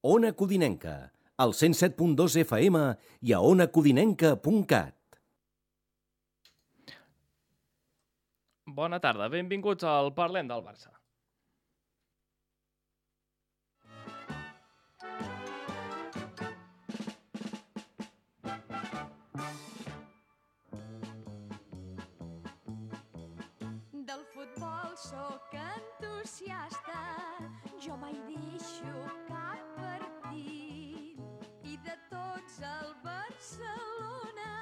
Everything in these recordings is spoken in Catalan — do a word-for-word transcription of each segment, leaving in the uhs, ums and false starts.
Ona Codinenca, al cent set punt dos F M i a ona codinenca punt cat. Bona tarda, benvinguts al Parlem del Barça. Del futbol sóc entusiasta, jo mai deixo cap partit. I de tots el Barcelona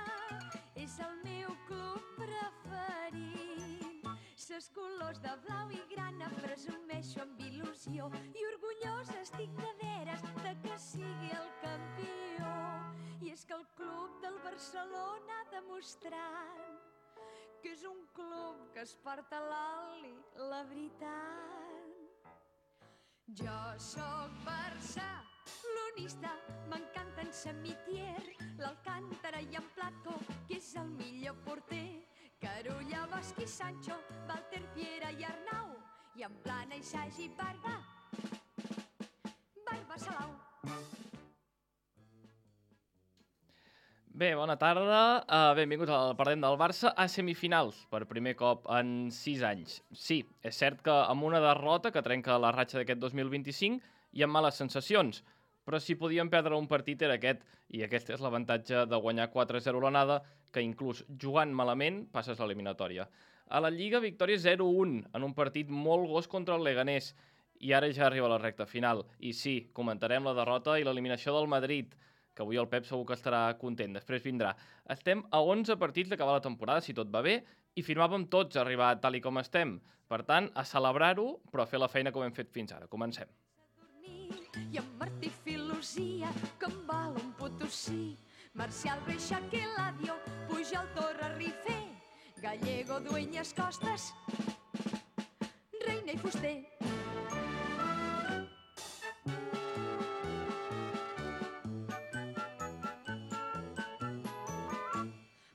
és el meu club preferit. Ses colors de blau i grana presumeixo amb il·lusió i orgullosa estic de veres de que sigui el campió. I és que el club del Barcelona ha demostrat que és un club que es porta l'oli, la veritat. Jo sóc barcelonista, m'encanten Samitier, l'Alcántara i en Plató, que és el millor porter. Carulla, Bosch i Sancho, Walter, Piera i Arnau, i en Plana i Sagi, Barba, Barba Salau. Bé, bona tarda, uh, benvinguts al Parlem del Barça a semifinals, per primer cop en sis anys. Sí, és cert que amb una derrota que trenca la ratxa d'aquest dos mil vint-i-cinc hi ha males sensacions, però si podíem perdre un partit era aquest, i aquest és l'avantatge de guanyar quatre a zero l'anada, que inclús jugant malament passes l'eliminatòria. A la Lliga, victòria zero a un en un partit molt gos contra el Leganés, i ara ja arriba la recta final. I sí, comentarem la derrota i l'eliminació del Madrid, que avui el Pep segur que estarà content, després vindrà. Estem a onze partits d'acabar la temporada, si tot va bé, i firmàvem tots arribar tal i com estem. Per tant, a celebrar-ho, però a fer la feina com hem fet fins ara. Comencem. I en Martí Filosia, que em val un Potosí. Marcial, Reixac, Eladio, Pujol, Torra, Rifé, Gallego, Dueñas, Costas, Reina i Fuster.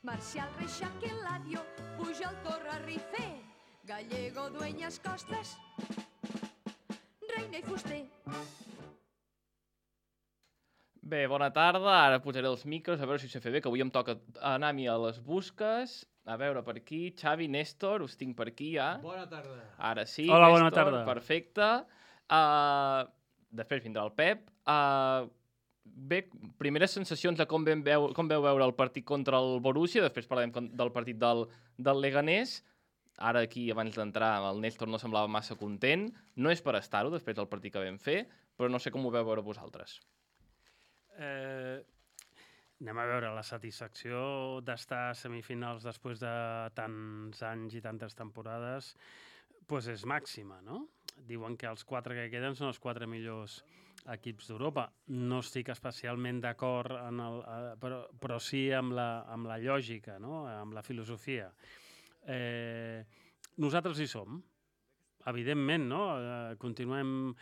Marcial, Reixac, Eladio, Pujol, Torra, Rifé, Gallego, Dueñas, Costas, Reina i Fuster. Bé, bona tarda. Ara posaré els micros, a veure si ho sé fer bé, que avui em toca anar a mi a les busques. A veure, per aquí, Xavi, Néstor, us tinc per aquí ja. Bona tarda. Ara sí, Hola, Néstor, bona tarda. Perfecte. Uh, després vindrà el Pep. Uh, bé, primeres sensacions de com, vam veu, com veu veure el partit contra el Borussia, després parlarem del partit del, del Leganés. Ara aquí, abans d'entrar, el Néstor no semblava massa content. No és per estar-ho, després del partit que vam fer, però no sé com ho veu veure vosaltres. Eh, anem a veure, la satisfacció d'estar a semifinals després de tants anys i tantes temporades pues és màxima, no? Diuen que els quatre que queden són els quatre millors equips d'Europa. No estic especialment d'acord, en el, eh, però, però sí amb la, amb la lògica, no? Amb la filosofia. Eh, nosaltres hi som, evidentment, no? Eh, continuem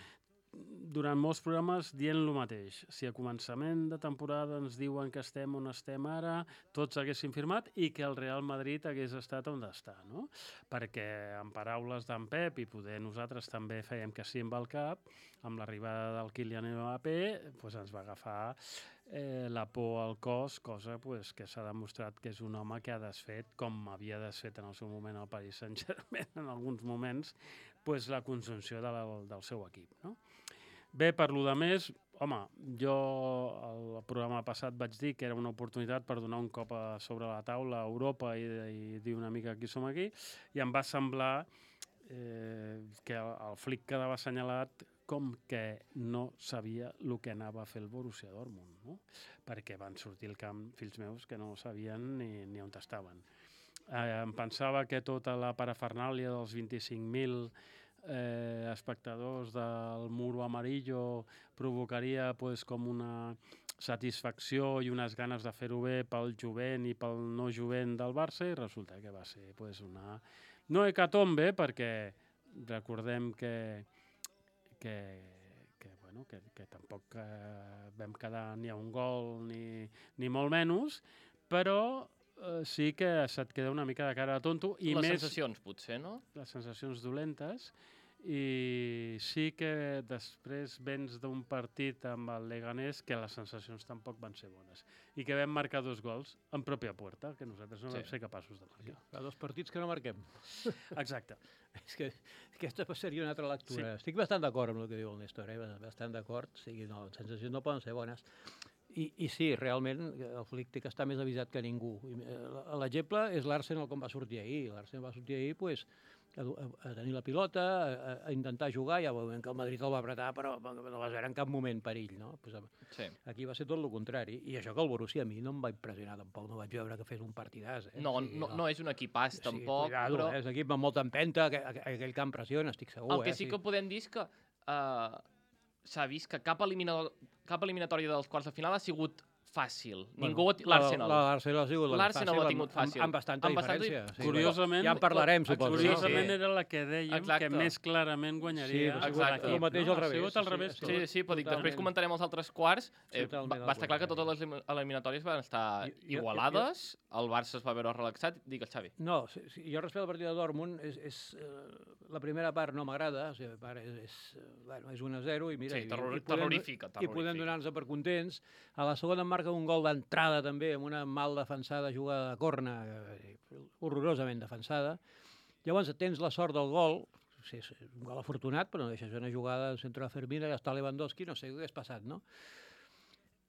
durant molts programes dient el mateix. Si a començament de temporada ens diuen que estem on estem ara, tots haguessin firmat i que el Real Madrid hagués estat on està, no? Perquè, en paraules d'en Pep, i poder nosaltres també fèiem que sí amb el cap, amb l'arribada del Kylian Mbappé, pues ens va agafar eh, la por al cos, cosa pues, que s'ha demostrat que és un home que ha desfet, com havia desfet en el seu moment al Paris Saint-Germain, en alguns moments, pues, la conjunció de la, del seu equip, no? Bé, per lo de més, home, jo el programa passat vaig dir que era una oportunitat per donar un cop a sobre la taula a Europa i, i dir una mica qui som aquí, i em va semblar eh, que el, el flic quedava assenyalat com que no sabia el que anava a fer el Borussia Dortmund, no? Perquè van sortir al camp fills meus que no sabien ni, ni on estaven. Eh, em pensava que tota la parafernàlia dels vint-i-cinc mil Eh, espectadors del muro amarillo provocaria pues, com una satisfacció i unes ganes de fer-ho bé pel jovent i pel no jovent del Barça, i resulta que va ser pues, una no hecatombe, perquè recordem que que, que, bueno, que, que tampoc eh, vam quedar ni a un gol ni, ni molt menys, però eh, sí que se't queda una mica de cara de tonto. I les més, sensacions, potser, no? les sensacions dolentes. i sí que després vens d'un partit amb el Leganés que les sensacions tampoc van ser bones i que vam marcar dos gols en pròpia puerta, que nosaltres no Sí. vam ser capaços de marcar. Fa dos partits que no marquem. Exacte. És que aquesta seria una altra lectura. Sí. Estic bastant d'acord amb el que diu el Néstor, eh? bastant d'acord. O sigui, no, les sensacions no poden ser bones. I, I sí, realment, el Flick té que estar més avisat que ningú. I, eh, L'exemple és l'Arsenal com va sortir ahir. L'Arsenal va sortir ahir, pues, a, a, a tenir la pilota, a, a intentar jugar, ja veuen que el Madrid el va apretar, però no vas veure en cap moment perill, no? Pues, Sí. aquí va ser tot el contrari. I això que el Borussia a mi no em va impressionar tampoc, no vaig veure que fes un partidàs. Eh? No, O sigui, no, no és un equipàs, o sigui, tampoc, cuidado, però eh? És un equip amb molta empenta, aqu aqu aquell camp pressiona, estic segur. el que eh? sí que podem dir és que uh, s'ha vist que cap, elimina cap eliminatòria dels quarts de final ha sigut fàcil. Ningú... L'Arsenal. L'Arsenal ha sigut L'Arsenal ho ha tingut fàcil. Amb, amb bastanta Amb bastanta diferència. di- Sí, Curiosament, ja en parlarem, suposo. Curiosament Sí. era la que dèiem Exacte. que més clarament guanyaria. Sí, ha sigut l'equip, el mateix no? al revés. Ha sigut al Sí, revés. sí, tot. Sí, sí, però dic, després Totalment. comentarem els altres quarts. Eh, Totalment va, al va estar clar que contrari. totes les eliminatòries van estar Jo- jo- igualades, el Barça es va veure relaxat. Digues, Xavi. No, sí, sí, jo respecte al partit de Dortmund, és, és, eh, la primera part no m'agrada, o sigui, la part és, és, eh, bueno, és un a zero i mira... Sí, i- terror- i podem- terrorífica, I podem terrorífica. donar-nos per contents. A la segona em marca un gol d'entrada també, amb una mal defensada jugada de corna, eh, horrorosament defensada. Llavors tens la sort del gol, sí, és un gol afortunat, però no deixa de ser una jugada del centre de Fermina, ja està Lewandowski, no sé què hagués passat, no?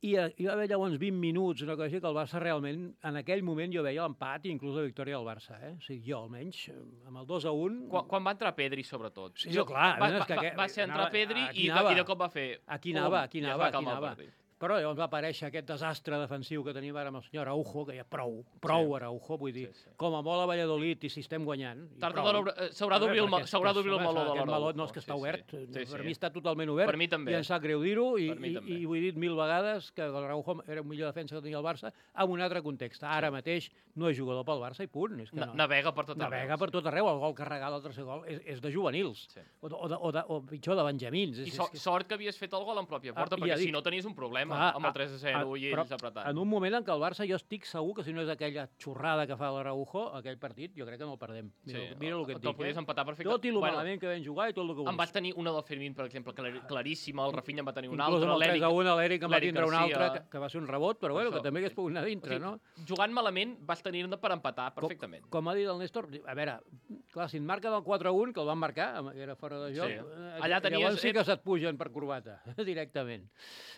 I eh, hi va haver llavors vint minuts, una cosa així, que el Barça realment, en aquell moment jo veia l'empat i inclús la victòria del Barça, eh? O sigui, jo almenys, eh, amb el dos a un... Quan, quan va entrar Pedri, sobretot. Sí, no, clar, Va, és va, que va, aquest- va ser entrar anava- Pedri aquí i de, anava. i de cop va fer... Aquí anava, aquí pum, i anava, es va aquí calmar el anava. partit. Però llavors va aparèixer aquest desastre defensiu que tenim ara amb el senyor Araujo, que ja prou, prou Sí. Araujo, vull dir, Sí, sí. com a molt a Valladolid i si estem guanyant. i Tard o prou. d'hora haurà- eh, s'haurà A veure, d'obrir el, perquè ma- és s'haurà que, d'obrir el home, meló de Aquest l'Araujo. meló no és que està Sí, sí. obert, Sí, per sí. mi està totalment obert, Per mi també. i em sap greu dir-ho, i, Per mi i, també. i ho he dit mil vegades, que l'Araujo era un millor defensa que tenia el Barça, en un altre context. Ara mateix no és jugador pel Barça i punt. És que Na- no. Navega per tot arreu. Navega per tot arreu, el gol carregat, el tercer gol, és, és de juvenils, Sí. o, de, o, de, o, de, o pitjor, de benjamins. I És, so, és que... sort que havies fet el gol en pròpia porta, Ah, ja perquè si dic. no tenies un problema Clar, amb el tres a zero i però ells apretant. En un moment en què el Barça, jo estic segur que si no és aquella xorrada que fa l'Araujo, aquell partit, jo crec que no el perdem. Mira, Sí, mira el que et te'l dic. podies Eh? empatar perfecte. Tot i el Bueno, malament que vam jugar i tot el que en vulguis. vas tenir una del Fermín, per exemple, clar, claríssima, el Rafinha en va tenir una Inclús altra, amb el tres l'Eric... a un l'Eric en va l'Eric tindre un altre, Garcia. que, que va ser un rebot, però bueno, Això. que també hagués pogut anar O dintre, sigui, no? Jugant malament vas tenir-ne per empatar perfectament. Com, com ha dit el Néstor, a veure, clar, si et marca del quatre a un, que el van marcar, amb- que era fora de joc, Sí. eh, Allà tenies- llavors sí que se't pugen per corbata, directament.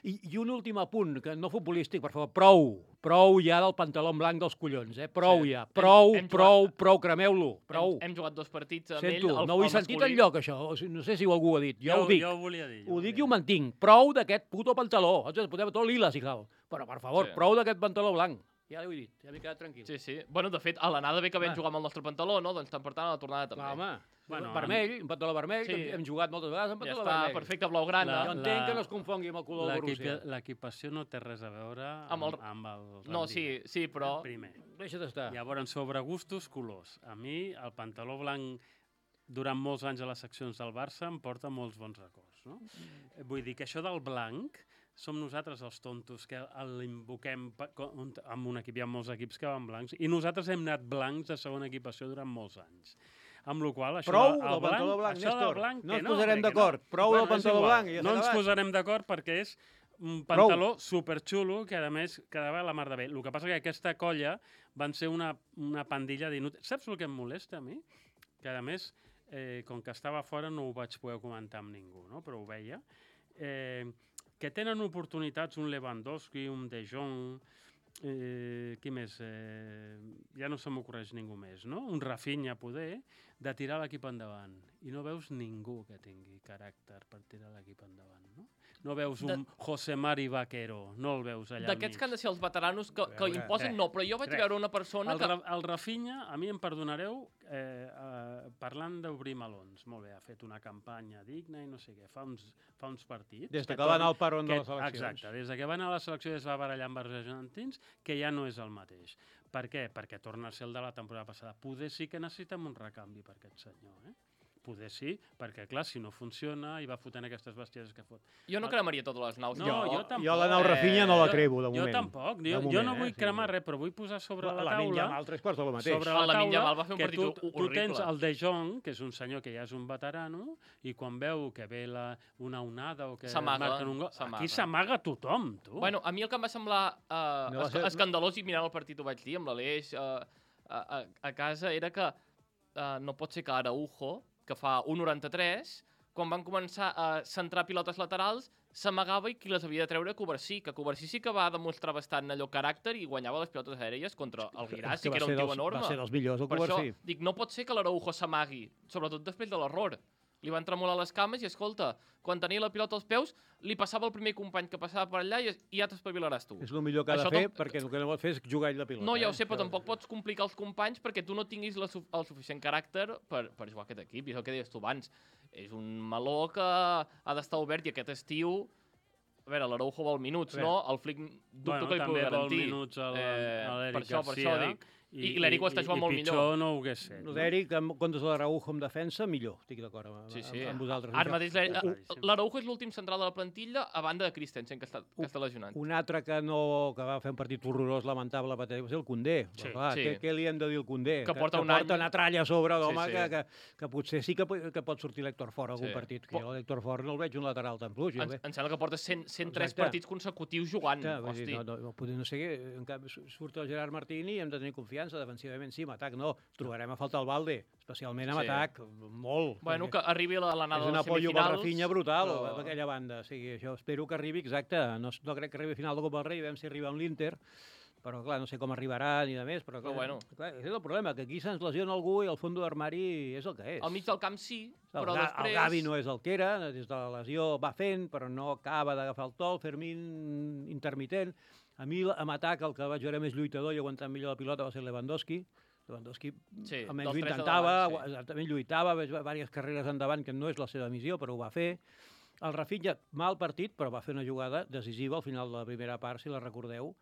I, I un últim apunt, que no futbolístic, per favor, prou, prou ja del pantaló blanc dels collons, eh? Prou Sí. ja, Hem- prou, hem prou, jugat- prou, cremeu-lo, prou. Hem, hem jugat dos partits amb Sento, ell. El, no ho he el sentit masculí. enlloc, això. O sigui, no sé si algú ho ha dit. Jo, ho dic. Jo ho volia dir. Ho ho dic i volia ho dir. mantinc. Prou d'aquest puto pantaló. Ens podem tot lila, si cal. Però, per favor, Sí. prou d'aquest pantaló blanc. Ja ho he dit, ja m'he quedat tranquil. Sí, sí. Bueno, de fet, a l'anada bé que vam Va. jugar amb el nostre pantaló, no? Doncs tant per tant, a la tornada també. Clar, home, Bueno, vermell, un pantaló vermell, Sí. que hem, hem jugat moltes vegades amb Ja pantaló està, vermell. perfecte, blaugrana. La- Jo entenc la- que no es confongui amb el color del L'equipa- Borussia. L'equipació no té res a veure Amb amb, el- amb el No, sí, sí, però... Primer. Deixa d'estar. Llavors, sobre gustos, colors. A mi, el pantaló blanc, durant molts anys a les seccions del Barça, em porta molts bons records. No? Mm. Vull dir que això del blanc, som nosaltres els tontos que l'invoquem pa- con- amb un equip, hi ha molts equips que van blancs, i nosaltres hem anat blancs de segona equipació durant molts anys. Amb la qual cosa, això Prou el del pantaló blanc, això del Néstor. blanc, No que ens posarem hombre, que d'acord. Prou del és pantaló igual. blanc i ja No s'ha ens acabat. posarem d'acord perquè és un pantaló superxulo que, a més, quedava la mar de bé. El que passa que aquesta colla van ser una, una pandilla d'inútils. Saps el que em molesta a mi? Que, a més, eh, com que estava fora no ho vaig poder comentar amb ningú, no? Però ho veia. Eh, que tenen oportunitats un Lewandowski, un De Jong, eh, qui més? Eh, ja no se m'ocorreix ningú més, no? Un Rafinha, poder, de tirar l'equip endavant. I no veus ningú que tingui caràcter per tirar l'equip endavant, no? No veus un De- José Mari Vaquero, no el veus allà al D'aquests mig. que han de ser els veteranos que, que veure, imposen, res, no, però jo vaig res. veure una persona El, que... Ra el Rafinha, a mi em perdonareu, eh, eh, parlant d'obrir melons. Molt bé, ha fet una campanya digna i no sé què, fa uns, fa uns partits. Des de que que va anar torna- al paron de que- les eleccions. Exacte, des de que va anar a la selecció i es va barallar amb els argentins, que ja no és el mateix. Per què? Perquè torna a ser el de la temporada passada. Poder sí que necessitem un recanvi per aquest senyor, eh? Poder sí, perquè, clar, si no funciona i va fotent aquestes bestieses que fot. Jo no cremaria totes les naus. No, jo, jo tampoc. Jo la nau Rafinha no la Jo- crevo, de Jo moment. tampoc. De Jo, jo moment, no vull eh? cremar res, però vull posar sobre la La taula... Lamine Yamal, tres quarts de lo mateix. Sobre El la Lamine taula, Yamal va fer un que partit tu, tu horrible. tens el De Jong, que és un senyor que ja és un veterano, i quan veu que ve la, una onada o que S'amaga, marquen un gol... s'amaga. Aquí s'amaga tothom, tu. Bueno, a mi el que em va semblar uh, No va es ser- escandalós, i mirant el partit ho vaig dir amb l'Aleix uh, a, a, a casa, era que uh, no pot ser que Araujo, que fa un noranta-tres, quan van començar a centrar pilotes laterals, s'amagava i qui les havia de treure Covarsí, que Covarsí sí que va demostrar bastant allò caràcter i guanyava les pilotes aèries contra el Guirassi, que, que era un tio enorme. Va ser dels millors, el Per això, Covarsí. dic, no pot ser que l'Araujo s'amagui, sobretot després de l'error. Li van tremolar les cames i, escolta, quan tenia la pilota als peus, li passava el primer company que passava per allà i, i ja t'espavilaràs tu. És el millor que ha de Això fer, tam- perquè el que no pot fer és jugar ell la pilota. No, ja ho eh? sé, però Això- tampoc pots complicar els companys perquè tu no tinguis la, su- el suficient caràcter per, per jugar a aquest equip. I és el que deies tu abans. És un meló que ha d'estar obert i aquest estiu... A veure, l'Araujo vol minuts, A no? El Flick dubto bueno, que li també pugui vol garantir. minuts a Eh, l'Eric per això, per Garcia. això dic. I l'Eric ho està jugant molt i millor. pitjor no ho hagués set. No? L'Eric, en comptes de l'Araujo en defensa, millor. Estic d'acord amb, Sí, sí. amb, amb vosaltres. Ara mateix l'Eric- Claríssim. l'Araujo és l'últim central de la plantilla a banda de Christensen, que està, que està lesionat. Un altre que, no, que va fer un partit horrorós, lamentable, va ser el Condé. Sí, Però, clar, sí. Què, què li hem de dir al Condé? Que porta un que porta any. una tralla a sobre, l'home, Sí, sí. Que, que, que potser sí que, po- que pot sortir l'Héctor Fort a algun Sí. partit. Que Po- jo l'Héctor Fort no el veig un lateral tan fluix. jo Em, el veig- em sembla que porta cent, cent tres Exacte. partits consecutius jugant. Exacte, vull dir, Hosti. no, no, no, potser no sé què, en canvi su- surt el Gerard Martini i hem de tenir confiança, defensivament sí, en atac no, trobarem a faltar el Balde, especialment en Sí. atac, molt. Bueno, perquè que arribi a la- a l'anada és de un les apoyo per semifinals. Rafinha brutal però- però... aquella banda, o sigui, això espero que arribi, exacte, no, no crec que arribi a final de Copa del Rei, veiem si arriba amb l'Inter, però clar, no sé com arribarà ni de més, però, clar, Però bueno. clar, és el problema, que aquí se'ns lesiona algú i el fons d'armari és el que és. Al mig del camp sí, El, però Ga- després... el Gavi no és el que era, des de la lesió va fent, però no acaba d'agafar el to, el Fermín intermitent. A mi, en atac, el que vaig veure més lluitador i aguantant millor la pilota va ser Lewandowski. Lewandowski Sí, almenys ho dels tres de intentava, davant, sí. exactament lluitava, veig diverses carreres endavant, que no és la seva missió, però ho va fer. El Rafinha, mal partit, però va fer una jugada decisiva al final de la primera part, si la recordeu,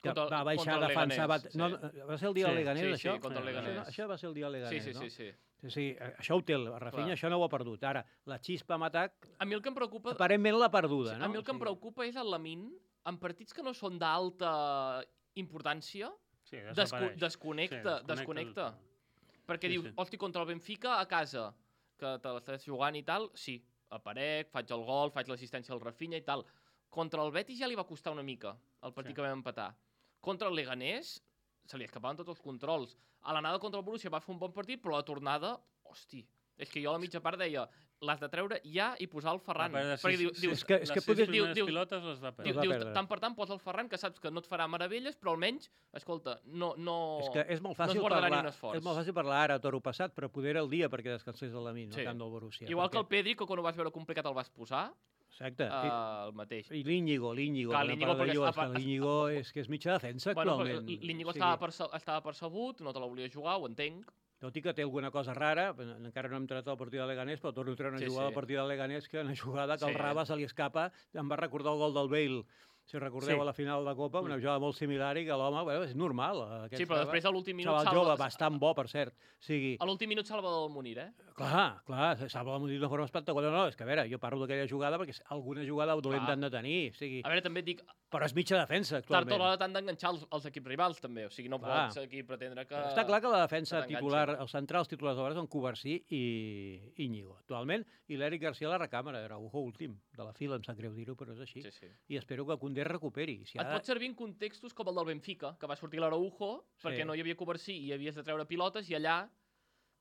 que Contra el- va baixar contra a el defensar... Va, Leganés, no, sí. no, va ser el dia Sí, del Leganés, sí, sí, això? contra el Això, Leganés. això va ser el dia del Leganés, Sí, sí, no? sí, sí. Sí, sí, això ho té, el Rafinha Clar. això no ho ha perdut. Ara, la xispa amb atac, A mi el que em preocupa... aparentment l'ha perduda, Sí, no? a mi el que em preocupa és el Lamin, en partits que no són d'alta importància, Sí, desco desapareix. desconnecta, Sí, desconnecta. totalment. Perquè Sí, dius, sí. hosti, contra el Benfica a casa, que te l'estàs jugant i tal, sí, aparec, faig el gol, faig l'assistència al Rafinha i tal. Contra el Betis ja li va costar una mica, el partit Sí. que vam empatar. Contra el Leganés, se li escapaven tots els controls. A l'anada contra el Borussia va fer un bon partit, però a la tornada, hosti, és que jo a la mitja part deia, l'has de treure ja i posar el Ferran. Va perdre Perquè sis- diu, sis- dius, és que- és les que sis podria- primeres diu- diu- pilotes les va Diu, perdre. va dius, perdre. tant per tant posa el Ferran, que saps que no et farà meravelles, però almenys, escolta, no... no És que és molt no es fàcil guardarà ni parlar, un esforç. és molt fàcil parlar ara, toro passat, però poder era el dia perquè descansés el Lamin, Sí. no tant del Borussia. Igual que el perquè... Pedri, que quan ho vas veure complicat el vas posar, Exacte. uh, el mateix. I, i l'Íñigo, l'Íñigo. Clar, quan l'Íñigo parla de perquè Íñigo, es- és que es- l'Íñigo és que és mitja defensa Bueno, actualment. l'Iñigo O sigui, estava, perce estava percebut, no te la volia jugar, ho entenc. Tot i que té alguna cosa rara, però encara no hem entrat al partit de Leganés, però torno a treure una Sí, jugada sí. al partit de Leganés, que una jugada que Sí. el Raba se li escapa, em va recordar el gol del Bale, si recordeu, Sí. a la final de Copa, una jugada molt similar i que l'home, bueno, és normal. Aquest Sí, però després a l'últim minut xaval salva... jove, bastant bo, per cert. O sigui, A l'últim minut salva del Munir, eh? clar, clar, salva la d'una forma espectacular. No, és que a veure, jo parlo d'aquella jugada perquè alguna jugada dolenta Clar. han de tenir, o sigui, A veure, també et dic, però és mitja defensa, tard o actualment. d'hora t'han d'enganxar els, els equips rivals, també. O sigui, no Clar. pots aquí pretendre que... Està clar que la defensa que t'enganxa. titular, els centrals titulars de vegades són Covarsí i Íñigo, actualment, i l'Eric Garcia a la recàmera, era Araujo últim, de la fila, em sap greu dir-ho, però és així. Sí, sí. I espero que Koundé recuperi. Si Et ha de... pot servir en contextos com el del Benfica, que va sortir l'Araujo Sí. perquè no hi havia Covarsí i havies de treure pilotes i allà,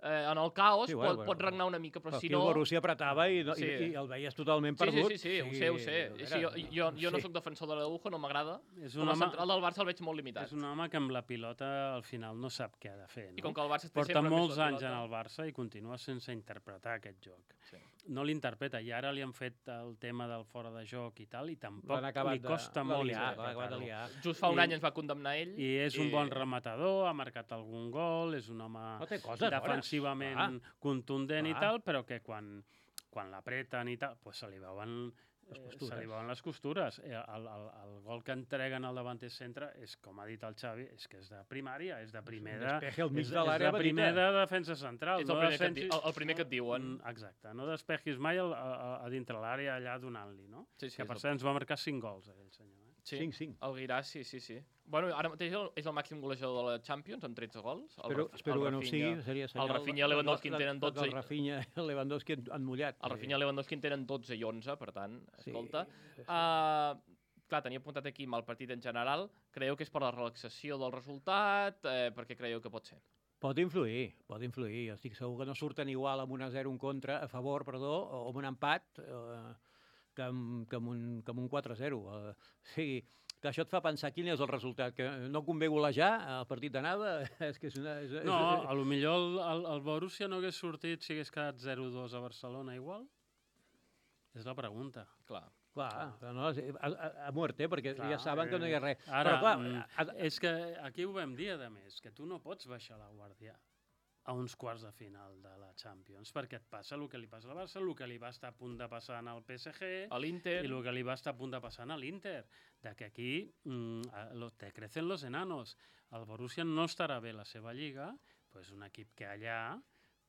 eh, en el caos, Sí, sí, bueno, pot, bueno. pot regnar una mica, però Però si aquí no... el Borussia apretava i, no, Sí. i, i el veies totalment Sí, sí, perdut. sí, sí, ho sé, ho sé. a Sí, jo, veure, jo, jo no sí. sóc defensor de l'Araujo, no m'agrada. És Com un, a home, central del Barça el veig molt limitat. és un home que amb la pilota al final no sap què ha de fer. I No? com que el Barça té Porta sempre més molts la anys en pilota. el Barça i continua sense interpretar aquest joc. Sí. No l'interpreta, i ara li han fet el tema del fora de joc i tal, i tampoc L'han acabat li de- costa de molt liar, l'han acabat de interpretar-ho. liar. Just fa un I- any ens va condemnar ell. I és un bon rematador, ha marcat algun gol, és un home No té coses defensivament bones. contundent Clar. i tal, però que quan, quan l'apreten i tal, pues se li veuen Les eh, costures. se li veuen les costures. Eh, El, el, el gol que entreguen al davanter centre és, com ha dit el Xavi, és que és de primària, és de primer de, despeje al mig és, de l'àrea és de primer petita. de defensa central. És el no primer, que et, di- defensis- el, el primer que et diuen. Mm, Exacte, no despegis mai el, a, a, a dintre l'àrea allà donant-li, no? Sí, sí, que és per el- cert ens va marcar cinc gols, aquell senyor. Eh? Sí, cinc cinc. el Guirà, sí, sí, sí. Bueno, ara mateix el- és el màxim golejador de la Champions, amb tretze gols. El Espero, Rafi- espero el que no ho Rafinha- sigui, seria senyal... el Rafinha i Lewandowski en tenen dotze El i- Rafinha i el Lewandowski han, han mullat. El Rafinha i Lewandowski en tenen dotze i onze, per tant, Sí, escolta. sí, sí. Uh, clar, tenia apuntat aquí mal partit en general. Creieu que és per la relaxació del resultat? Eh, per què creieu que pot ser? Pot influir, pot influir. Estic segur que no surten igual amb un a zero en contra, a favor, perdó, o amb un empat, eh, que, amb, que, amb un, que amb un quatre a zero. Eh, sí, que això et fa pensar quin és el resultat, que no convé golejar el partit d'anada, és que és una... És, No, és, a lo millor el, el, el Borussia no hagués sortit si hagués quedat zero dos a Barcelona igual? És la pregunta. Clar. clar, però no, és- a, a, a muerte, perquè Clar, ja saben que no hi ha res. Ara, Però clar, mm, a, a, és que aquí ho vam dir, a més, que tu no pots baixar la guàrdia a uns quarts de final de la Champions, perquè et passa el que li passa al Barça, el que li va estar a punt de passar al P S G A l'Inter... i el que li va estar a punt de passar a l'Inter, de que aquí mm, a- lo- te crecen los enanos. El Borussia no estarà bé la seva lliga, pues un equip que allà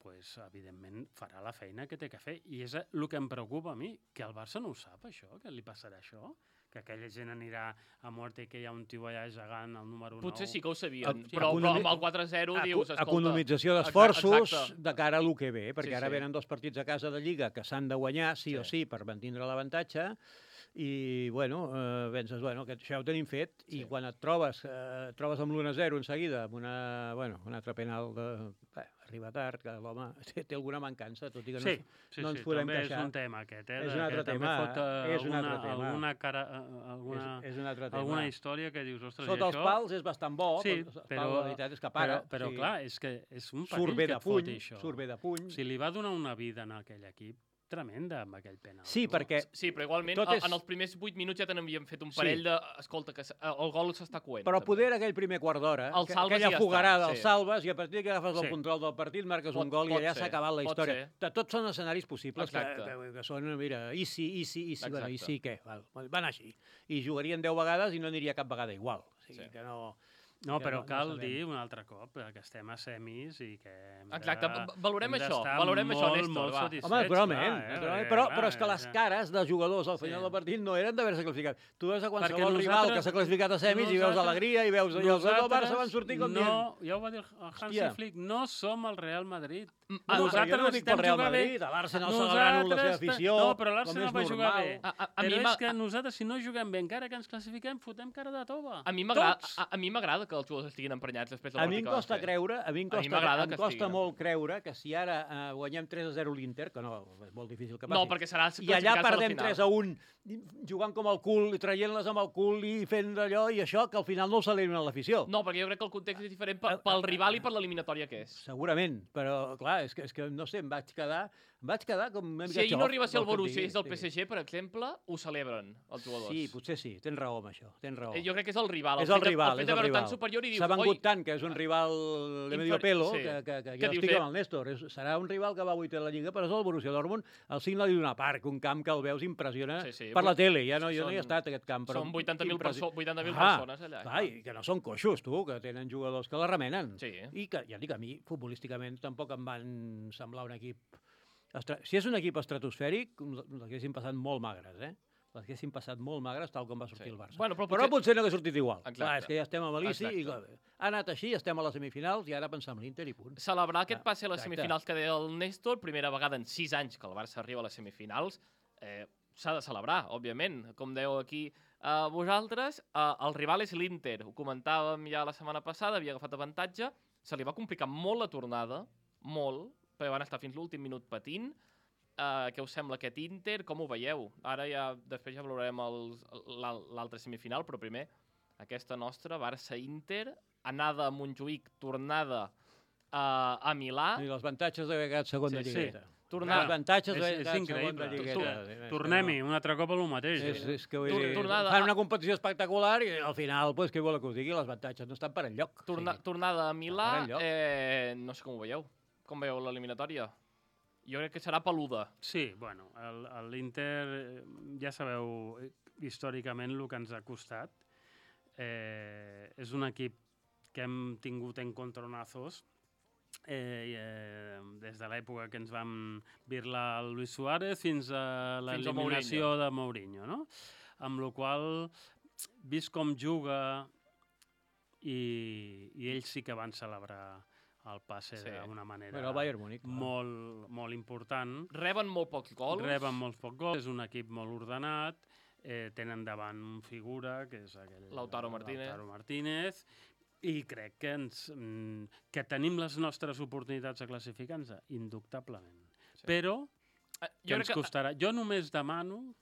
pues, evidentment farà la feina que té que fer. I és el que em preocupa a mi, que el Barça no ho sap, això, que li passarà això, que aquella gent anirà a mort i que hi ha un tio allà gegant, el número nou. Potser sí que ho sabien, Economi- però, però amb el quatre a zero dius, escolta... economització Exacte, d'esforços exacte. de cara a lo que ve, perquè Sí, ara sí. venen dos partits a casa de Lliga que s'han de guanyar sí, Sí. o sí per mantindre l'avantatge i, bueno, eh, penses, bueno, que això ho tenim fet i Sí. quan et trobes, eh, et trobes amb l'u a zero en seguida, amb una, bueno, un altre penal de... Bé, arriba tard, que l'home té, té alguna mancança, tot i que no, Sí, sí, no ens sí, podem també queixar. és un tema aquest, eh? És de un altre que també tema, fot, eh, és un alguna, altre tema. alguna, cara, eh, alguna, és, és un altre tema. alguna història que dius, ostres, Sota i els això... pals és bastant bo, Sí, però, però, la veritat és que para. però, però sí. clar, és que és un Surt perill bé que de et foti puny, això. surt bé de puny. Si li va donar una vida en aquell equip, tremenda amb aquell penal. Sí, perquè Sí, però igualment Tot Tot és- és... en els primers vuit minuts ja te n'havíem fet un Sí. parell de... Escolta, que s- el gol s'està coent. Però també. poder aquell primer quart d'hora, El que- salves aquella i ja està, fogarada, el sí. salves i a partir que agafes Sí. el control del partit marques Pot- un gol i pot allà ser, s'ha acabat la pot història. ser. De Tots són escenaris possibles que, Exacte. que, que són, mira, easy, easy, easy, bueno, Exacte. easy què? Val, van així. I jugarien deu vegades i no aniria cap vegada igual. O sigui, Sí. que no... No, que però no- no cal sabem. dir un altre cop eh, que estem a semis i que hem de, Exacte, va- valorem hem això, d'estar valorem això, molt, Néstor, molt va. satisfets, Home, naturalment, clar, eh, naturalment perquè, però, clar, però és que les ja- cares dels jugadors al final Sí. del partit no eren d'haver-se classificat. Tu veus a qualsevol Perquè rival nosaltres- que s'ha classificat a semis i veus nosaltres- alegria i veus allò, els del Barça van sortir com dient... no, ja ho va dir el Hansi Hòstia. Flick, no som el Real Madrid. Mm, Ah, no, però jo no dic pel necessitem Real jugar bé. Madrid, a l'Arsenal celebrant la seva Nosaltres- afició, No, però com l'Arsenal és va jugar normal. bé. A, a, a mi Però m'ha- és que nosaltres, si no juguem bé, encara que ens classifiquem, fotem cara de tova. a mi m'agrada Tots. a, a mi m'agrada que els jugadors estiguin emprenyats després del A mi em partit que van costa fer. creure, a mi em A mi costa, m'agrada em que costa estigui. molt creure que si ara eh, guanyem tres a zero l'Inter, que no, és molt difícil que passi, No, perquè serà i allà classificar-se a la perdem final. tres a un, jugant com el cul, i traient-les amb el cul i fent allò i això, que al final no ho celebren a l'afició. No, perquè jo crec que el context és diferent pel, pel rival i per l'eliminatòria que és. Segurament, però clar, és que, és que no sé, em vaig quedar, em vaig quedar com una Si mica ahir no xof, arriba a ser el vols que et Borussia i és el digui, P S G, per exemple, ho celebren els jugadors. Sí, potser sí, tens raó amb això, tens raó. Eh, Jo crec que és el rival. És el fet de- rival, el fet és de el veure rival. tan superior i dius, S'ha vengut oi, tant que és un rival de medio Infer- pelo sí. que, que, que Que jo dius, estic eh? amb el Néstor. És, serà un rival que va a vuitè de la Lliga, però és el Borussia Dortmund, al signe d'una parc, un camp que el veus impressiona Sí, sí, per la vuit- tele. Ja no, jo no són- hi he estat, a aquest camp. Però són vuitanta mil impressi- perso vuitanta mil Ah, persones allà. Clar, i que no són coixos, tu, que tenen jugadors que la remenen. Sí. I que, ja dic, a mi, futbolísticament, tampoc em van semblar un equip... Estra... Si és un equip estratosfèric, les haguessin passat molt magres, eh? Les haguessin passat molt magres, tal com va sortir Sí. el Barça. Bueno, però Però potser- potser no hagués sortit igual. Exacte. Clar, és que ja estem a Malici i Exacte. clar, ha anat així, estem a les semifinals i ara pensar en l'Inter i punt. Celebrar aquest Ah, passe a les exacte. semifinals que deia el Néstor, primera vegada en sis anys que el Barça arriba a les semifinals, eh, s'ha de celebrar, òbviament. Com dèieu aquí eh, vosaltres, eh, el rival és l'Inter. Ho comentàvem ja la setmana passada, havia agafat avantatge, se li va complicar molt la tornada, molt, perquè van estar fins l'últim minut patint. Uh, què us sembla aquest Inter? Com ho veieu? Ara ja, després ja valorarem els- l'al- l'altre semifinal, però primer aquesta nostra, Barça-Inter, anada a Montjuïc, tornada uh, a Milà, I els avantatges d'haver quedat segon de Sí, sí. lligueta. Els tornada, avantatges És- d'haver és quedat segon increïble. de lligueta. Tu- És que Tornem-hi, no- un altre cop a lo mateix. És, eh? és que vull Tor- dir, tornada fan a- una competició espectacular i al final, pues, què vol que us digui? Els avantatges no estan per enlloc. torna, Sí. tornada a Milà, Ara enlloc. eh, no sé com ho veieu. Com veieu l'eliminatòria? Jo crec que serà peluda. Sí, bueno, el- el- l'Inter, eh, ja sabeu eh, històricament el que ens ha costat. Eh, és un equip que hem tingut en contra-nazos eh, i, eh, des de l'època que ens vam birlar el Luis Suárez fins a l'eliminació de Mourinho, no? Amb la qual vist com juga i, i ells sí que van celebrar el passe Sí. d'una manera Bueno, el Bayern Múnich. clar. molt, molt important. Reben molt pocs gols. Reben molts pocs gols, és un equip molt ordenat, eh, tenen davant un figura, que és aquell... Lautaro Martínez. Lautaro Martínez, i crec que, ens, mm, que tenim les nostres oportunitats de classificar-nos, indubtablement. Sí. Però Eh, que jo ens crec que... costarà... Jo només demano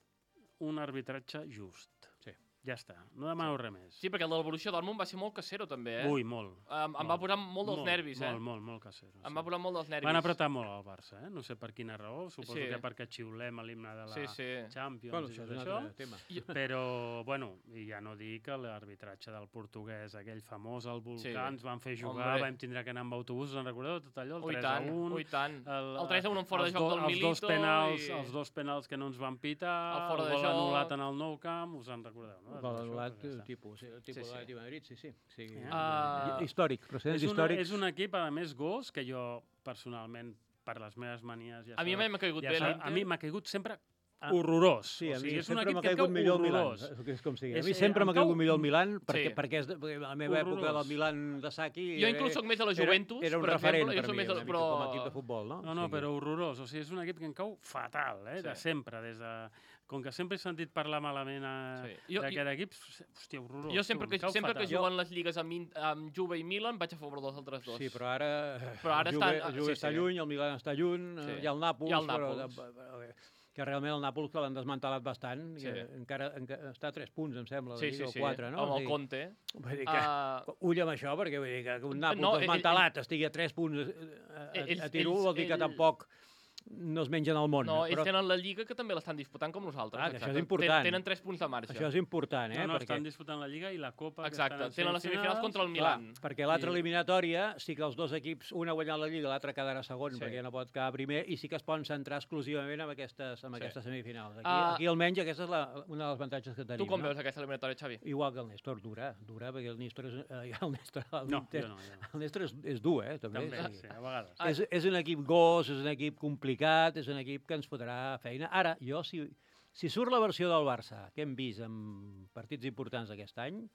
un arbitratge just. Sí. Ja està, no demano res més. Sí, perquè el del Borussia Dortmund va ser molt casero, també, eh? Ui, molt. Em, em va posar molt dels nervis, eh? Molt, molt, molt casero. Em sí. va posar molt dels nervis. Van apretar molt al Barça, eh? No sé per quina raó, suposo Sí. que perquè xiulem a l'himne de la Sí, sí. Champions Bueno, i això tot és un això. altre tema. Però, bueno, i ja no dic que l'arbitratge del portuguès, aquell famós, el Volcà, Sí. ens van fer jugar, Hombre. vam tindre que anar amb autobús, en recordeu tot allò? El Ui, tres tant, a un. ui, tant. El, El tres a un en fora de els joc do- del els dos Milito penals, i- Els dos penals que no ens van pitar, El fora de gol joc. anul·lat en el Nou Camp, us en recordeu, no? Gol Això, anul·lat, doncs ja està. tipus, sí, el tipus Sí, sí. de l'Atlètic de Madrid, sí, sí. sí. Ah. Històric, procedents És, una, històrics. és un equip, a més, gos, que jo, personalment, per les meves manies... Ja A mi sabeu, m'ha caigut ja bé sabeu, l'Inter. A mi m'ha caigut sempre Ah, horrorós. Sí, a o mi sigui, és un sempre equip m'ha que em caigut cau millor el Milan, horrorós. és que és com sigui. A És- mi sempre em m'ha cau- caigut millor el Milan, perquè, Sí. perquè és de, perquè a la meva època Horrorós. del Milan de Saki... Jo eh, inclús soc més de la era- Juventus, era un per referent exemple, jo per soc mi, més de- una mica però- com a equip de futbol, no? No, no, O sigui, però horrorós. O sigui, és un equip que em cau fatal, eh? De Sí. sempre. Des de... Com que sempre he sentit parlar malament a... Sí. Jo- d'aquest equip, hòstia, horrorós. Jo sempre tu, em que, cau sempre que fatal. juguen les lligues amb, In- amb Juve i Milan vaig a favor dels altres dos. Sí, però ara, Però ara el Juve, estan- el Juve sí, està sí. lluny, el Milan està lluny, Sí. sí. hi ha el Nàpols, Hi ha el però, Nàpols. però, que realment el Nàpols que l'han desmantelat bastant, Sí. i eh, encara, encara està a tres punts, em sembla, sí, la sí, Lliga, sí. o quatre, no? Amb O el sigui, Conte. Vull dir que, Uh, ull amb això, perquè vull dir que un Nàpols No, no, ell- desmantelat estigui a tres punts eh, a, a, Ells- a tiro, ells- vol dir que ell- tampoc no es mengen el món. no, ells però tenen la Lliga que també l'estan disputant com nosaltres. Ah, que això és exacte. important. Ten- Tenen tres punts de marge. això és important, eh? No, no, perquè, estan disputant la Lliga i la Copa. que Exacte, estan en tenen les semifinals contra el clar, Milan. perquè l'altra I- eliminatòria sí que els dos equips, un ha guanyat la Lliga, l'altre quedarà segon, Sí. perquè no pot quedar primer, i sí que es poden centrar exclusivament en aquestes, en Sí. aquestes semifinals. Aquí, Ah. aquí almenys aquesta és la, una de les avantatges que tenim. Tu com no? veus aquesta eliminatòria, Xavi? Igual que el Néstor, dura, dura, perquè el Néstor és, eh, el Néstor, el No, Inter- jo no, jo no. el Néstor és, és dur, eh, també. També, o sigui, sí, a vegades. Ah. És, és un equip gos, és un equip complicat, és un equip que ens fotrà feina. Ara, jo, si, si surt la versió del Barça, que hem vist en partits importants aquest any,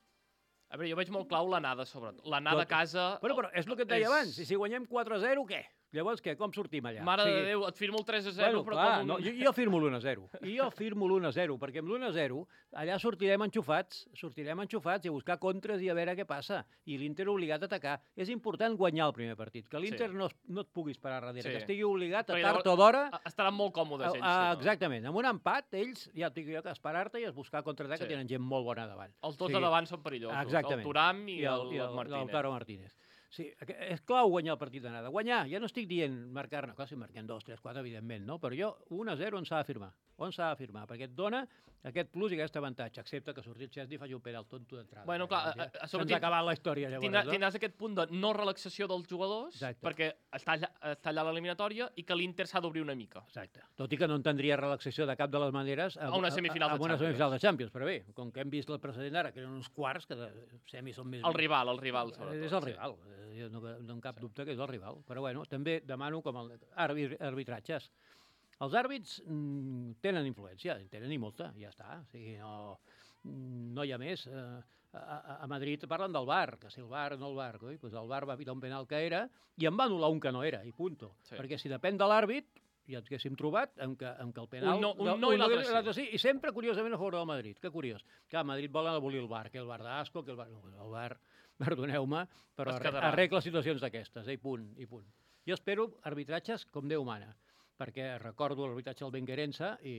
A veure, jo veig molt clau l'anada, sobretot. L'anada a Tot- casa... bueno, però és el que et deia és- abans, i si guanyem quatre a zero, què? Llavors, què? Com sortim allà? Mare O sigui, de Déu, et firmo el tres a zero, Bueno, però clar, com no, un... jo, jo firmo l'u a zero. I jo firmo l'u a zero, perquè amb l'u a zero allà sortirem enxufats, sortirem enxufats i a buscar contres i a veure què passa. I l'Inter obligat a atacar. És important guanyar el primer partit, que l'Inter Sí. no, es- no et puguis parar darrere, Sí. que estigui obligat a Perquè tard llavors- o d'hora. a- Estaran molt còmodes ells. Ah, si no. exactament, amb un empat, ells, ja et dic jo, que esperar-te i es buscar contraatac, Sí. que tenen gent molt bona davant. Els dos Sí. de davant són perillosos. Exactament. El Turam i, I el, el, i el, Martínez. Lautaro Martínez. Sí, aqu- és clau guanyar el partit d'anada. Guanyar, ja no estic dient marcar-ne, clar, si marquem dos, tres, quatre, evidentment, no? Però jo, un a zero on s'ha de firmar. On s'ha de firmar? Perquè et dona aquest plus i aquest avantatge, excepte que surti el Chesney i faci un penal tonto d'entrada. Bueno, clar, Ja, a- a sobre se'ns tin- ha acabat la història, llavors. Tindrà, no? tindràs aquest punt de no relaxació dels jugadors, Exacte. perquè està allà, està allà l'eliminatòria i que l'Inter s'ha d'obrir una mica. Exacte. Tot i que no entendria relaxació de cap de les maneres A una semifinal de a, a una Champions. semifinal de Champions, però bé, com que hem vist el precedent ara, que eren uns quarts, que de semis són més... El rival, el rival, sobretot. És el sí. rival, eh, jo no, no en cap dubte que és el rival. Però bueno, també demano com el arbit, arbitratges. Els àrbits mm, tenen influència, en tenen i molta, ja està. O sigui, no, no hi ha més. Eh, a, a Madrid parlen del VAR, que si el VAR no el VAR, coi, doncs el VAR va pitar un penal que era i en va anul·lar un que no era, i punto. Sí. Perquè si depèn de l'àrbit, ja ens haguéssim trobat en què, en què el penal... Un no- un no i l'altre sí. sí. I sempre, curiosament, a favor del Madrid. Que curiós. Que a Madrid volen abolir el VAR, que el VAR d'asco, que el VAR... No, el VAR, perdoneu-me, però Es arre- quedarà. arregla situacions d'aquestes, eh, i punt, i punt. Jo espero arbitratges com Déu mana, perquè recordo l'arbitratge del Ben Querença i,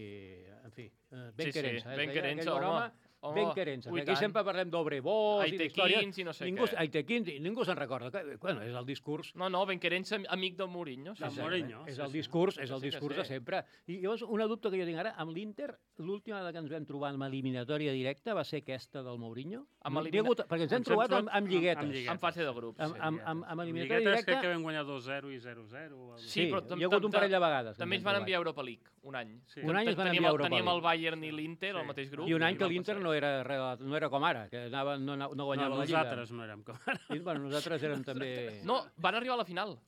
en fi, eh, Ben Sí, sí, Querença. eh, Ben es deia Querença, aquell bon home. Home, Ben Querença. ui, Aquí tant. sempre parlem d'Obrebós i d'històries. Aitequins i no sé ningú, què. Aitequins, i ningú se'n recorda. Que, bueno, és el discurs... No, no, Ben Querença, amic del Mourinho. Sí, Del sí. Mourinho. És sí, el sí. discurs, és el Sí que discurs sí. de sempre. I llavors, una dubte que jo tinc ara, amb l'Inter, l'última vegada que ens vam trobar en eliminatòria directa va ser aquesta del Mourinho? Amb No, elimina- n'hi ha hagut, perquè ens hem Ens hem trobat trobat amb, amb amb- lliguetes. amb lliguetes. En fase de grups. Amb, sí. amb, amb, amb eliminatòria Lliguetes directa... crec que vam guanyar dos zero i zero zero. o alguna cosa. Sí, Sí, però hi tam- ha hagut tam- un parell de vegades. que També ens ens hem van trobat. enviar a Europa League, un any. Sí. Un any ens van Teníem enviar a el- Europa Teníem el League. Bayern i l'Inter al Sí. mateix grup. I un any que vam l'Inter passar. no era, re- no era com ara, que anava, no, no No, guanyava la Lliga. nosaltres no érem com ara. I, bueno, nosaltres érem també... No, van arribar a la final.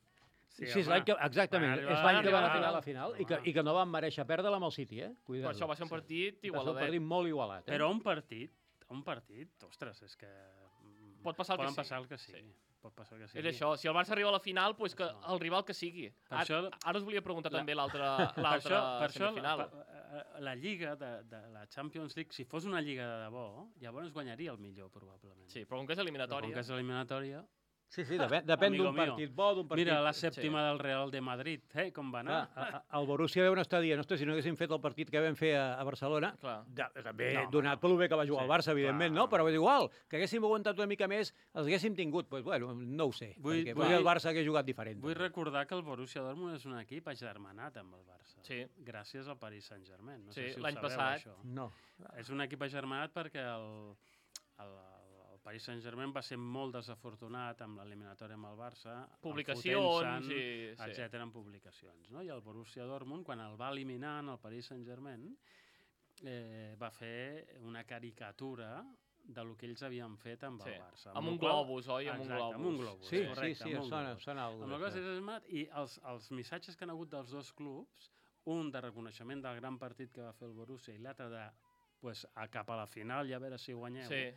Sí, és home. l'any que, exactament, Van és arribar- l'any que van van arribar a la arribar. final i que, i que no van mereixer perdre-la amb el City, eh? Per Cuidado. això va ser un partit Va ser un igualadet. partit molt igualat, eh? Però un partit, un partit, ostres, és que... mm, Pot passar el que poden sigui. passar el que sigui. Sí. Pot passar el que sigui. És això, si el Barça arriba a la final, doncs que el rival que sigui. Per Ara, això- ara us volia preguntar La- també l'altra Per l'altra això, per això semifinal. la, la, la Lliga de, de la Champions League, si fos una Lliga de debò, llavors guanyaria el millor, probablement. Sí, però com que és Però eliminatòria... com que és eliminatòria... Sí, sí, depèn, depèn Amigo d'un mío. partit bo, d'un partit... Mira la sèptima del Real de Madrid, eh, com va anar. Clar, a- a- el Borussia deu estar dient, ostres, si no haguéssim fet el partit que vam fer a, a Barcelona, Clar. de, també No, no, donat pel bé que va jugar sí, el Barça, evidentment, clar. no? Però és igual, que haguéssim aguantat una mica més, els haguéssim tingut. Doncs, bueno, no ho sé, Vull- perquè vull- potser el Barça hagués jugat diferent. Vull recordar que el Borussia Dortmund és un equip agermanat amb el Barça. Sí. Gràcies al Paris Saint-Germain. No Sí, sé si ho l'any sabeu, passat. això. No. És un equip agermanat perquè el, el, el Paris Saint-Germain va ser molt desafortunat amb l'eliminatòria amb el Barça, Publicacions enfotent-se'n, i... Sí. etcètera, en publicacions. No? I el Borussia Dortmund, quan el va eliminar en el Paris Saint-Germain, eh, va fer una caricatura de lo que ells havien fet amb Sí. el Barça. Amb el un qual- globus, oi? Amb un Exacte, amb un globus. globus. Sí, correcte, sí, sí, amb un sona, globus. sona alguna Amb la cosa. cosa és I els, els missatges que han hagut dels dos clubs, un de reconeixement del gran partit que va fer el Borussia i l'altre de pues, a cap a la final i a veure si guanyeu, Sí.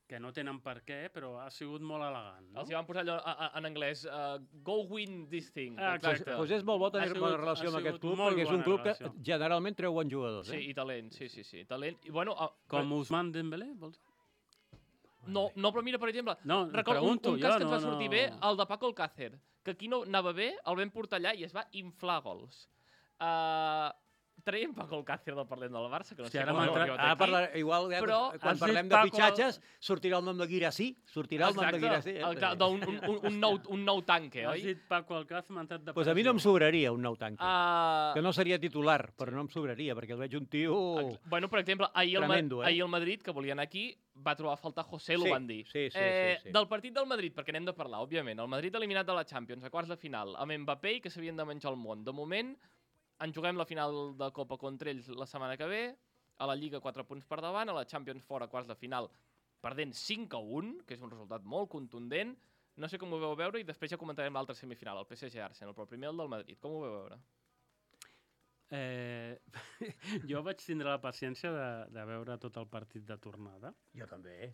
que no tenen per què, però ha sigut molt elegant. No? Els hi van posar allò a, a, en anglès, uh, go win this thing. Ah, Doncs exacte. pues és molt bo tenir Ha sigut- bona relació ha amb aquest sigut club, molt perquè és un bona club que relació. generalment treu bons jugadors. Sí, Eh? i talent, sí, sí, sí. Talent. I bueno, uh, Com Ousmane Dembélé, vols dir? no, no, però mira, per exemple, No, recordo un, pregunto un cas jo, que ens no, va sortir no. bé, el de Paco Alcácer, que aquí no anava bé, el vam portar allà i es va inflar gols. Uh, traiem Paco Alcácer del Parlem del Barça, que no Hòstia, sé ara com m'ha ha entrat- arribat Ara aquí. parlar, igual, eh, Però quan has parlem dit de Paco- fitxatges, sortirà el nom de Guirassí, sortirà el nom de Guirassí. Exacte, d'un- un, un, un, nou, un nou tanque, Has oi? dit Paco Alcácer, m'ha entrat de Pues a mi no em pressió. sobraria un nou tanque. Uh, Que no seria titular, però no em sobraria, perquè el veig un tio... Bueno, per exemple, ahir el, Ma- Tremendo, eh? ahir el Madrid, que volien aquí, va trobar a faltar José, Sí, l'ho van dir. sí, sí, eh, sí, sí. Del partit del Madrid, perquè n'hem de parlar, òbviament. El Madrid eliminat de la Champions, a quarts de final, amb Mbappé i que s'havien de menjar el món. De moment, en juguem la final de Copa contra ells la setmana que ve, a la Lliga quatre punts per davant, a la Champions fora, quarts de final, perdent cinc a un, que és un resultat molt contundent. No sé com ho veu veure i després ja comentarem l'altra semifinal, el P S G-Arsenal, però primer el del Madrid. Com ho veu veure? Eh, jo vaig tindre la paciència de, de veure tot el partit de tornada. Jo també.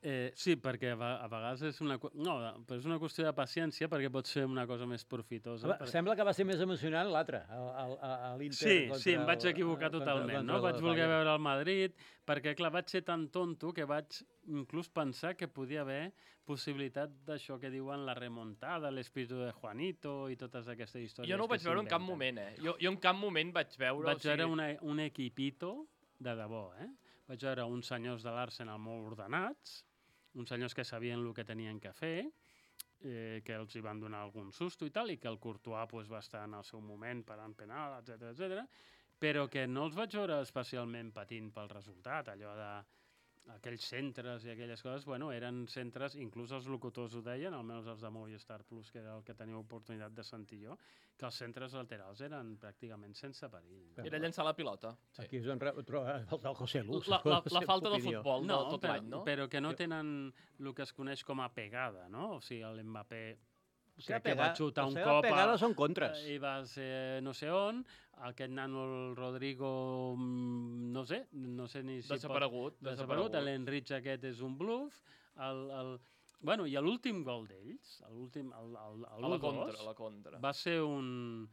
Eh, sí, perquè a, ve- a vegades és una, qu- no, però és una qüestió de paciència perquè pot ser una cosa més profitosa. Home, perquè- sembla que va ser més emocionant l'altre, el- el- el- l'Inter Sí, contra sí, em vaig el- equivocar contra- totalment, contra no? el Vaig voler Bayern. veure el Madrid, perquè, clar, vaig ser tan tonto que vaig inclús pensar que podia haver possibilitat d'això que diuen la remontada, l'espíritu de Juanito i totes aquestes històries. Jo no ho que vaig veure en cap s'inventen. moment, eh? Jo, jo en cap moment vaig veure... Vaig o sigui, veure una, un equipito de debò, eh? Vaig veure uns senyors de l'Arsenal molt ordenats, uns senyors que sabien el que tenien que fer, eh, que els hi van donar algun susto i tal, i que el Courtois pues, va estar en el seu moment parant penal, etcètera, etcètera, però que no els vaig veure especialment patint pel resultat, allò de aquells centres i aquelles coses, bueno, eren centres, inclús els locutors ho deien, almenys els de Movistar Plus, que era el que tenia oportunitat de sentir jo, que els centres laterals eren pràcticament sense perill. No? Era llençar la pilota. Sí. Aquí és on re- troba el José Luz. La, la, la seva falta de opinió. futbol No, de tot però, l'any, no? però que no tenen el que es coneix com a pegada, no? O sigui, l'Mbappé La seva crec que va pega- xutar la un seva cop a- pegada són contres. i va ser no sé on, aquest nano el Rodrigo, mm, no sé, no sé ni si Desaparegut. pot... Desaparegut, l'Enrich aquest és un bluff, el, el... Bueno, i l'últim gol d'ells, l'últim, el, el, el A la u dos, contra, a la contra. va ser un,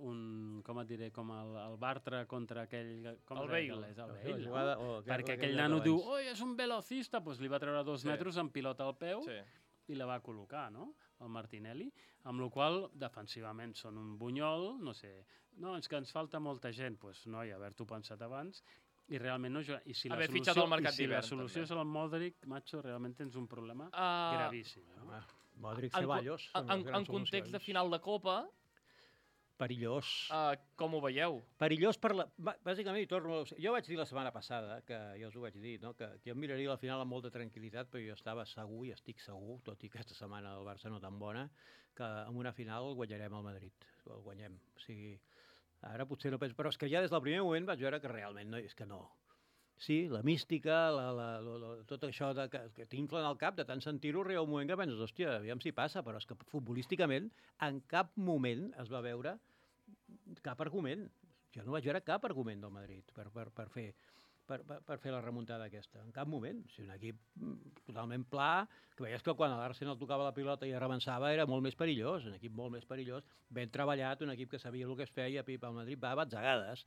un, com et diré, com el, el Bartra contra aquell... Com El es deia Bale. aquell? El La Bale, no? jugada- o aquella- Perquè aquella aquell nano d'abans. diu, oi, és un velocista, doncs li va treure dos Sí. metres amb pilota al peu Sí. i la va col·locar, no?, el Martinelli, amb la qual defensivament són un bunyol, no sé, no, és que ens falta molta gent, doncs pues, noi, haver-t'ho pensat abans, i realment no juga. I si la Haver solució, fitxat al mercat i si la d'hivern, solució també. és el Modric, macho, realment tens un problema Uh, gravíssim. Eh? Home, Modric, en, Ceballos... en, en, en context de final de Copa, Perillós. uh, com ho veieu? Perillós per la... bà- Bàsicament, i torno... Jo vaig dir la setmana passada, que jo us ho vaig dir, no? que, que jo miraria la final amb molta tranquil·litat, però jo estava segur, i estic segur, tot i que aquesta setmana el Barça no tan bona, que en una final guanyarem el Madrid. El guanyem. O sigui, ara potser no penso... Però és que ja des del primer moment vaig veure que realment no, és que no. Sí, la mística, la, la, la, la, tot això de, que, que t'inflen al cap de tant sentir-ho, arriba un moment que penses, hòstia, aviam si passa, però és que futbolísticament en cap moment es va veure cap argument. Jo no vaig veure cap argument del Madrid per, per, per, fer, per, per, per fer la remuntada aquesta. En cap moment. O sigui, un equip totalment pla, que veies que quan l'Arsenal tocava la pilota i rebençava era molt més perillós, un equip molt més perillós, ben treballat, un equip que sabia el que es feia, pip, el Madrid va a batzegades.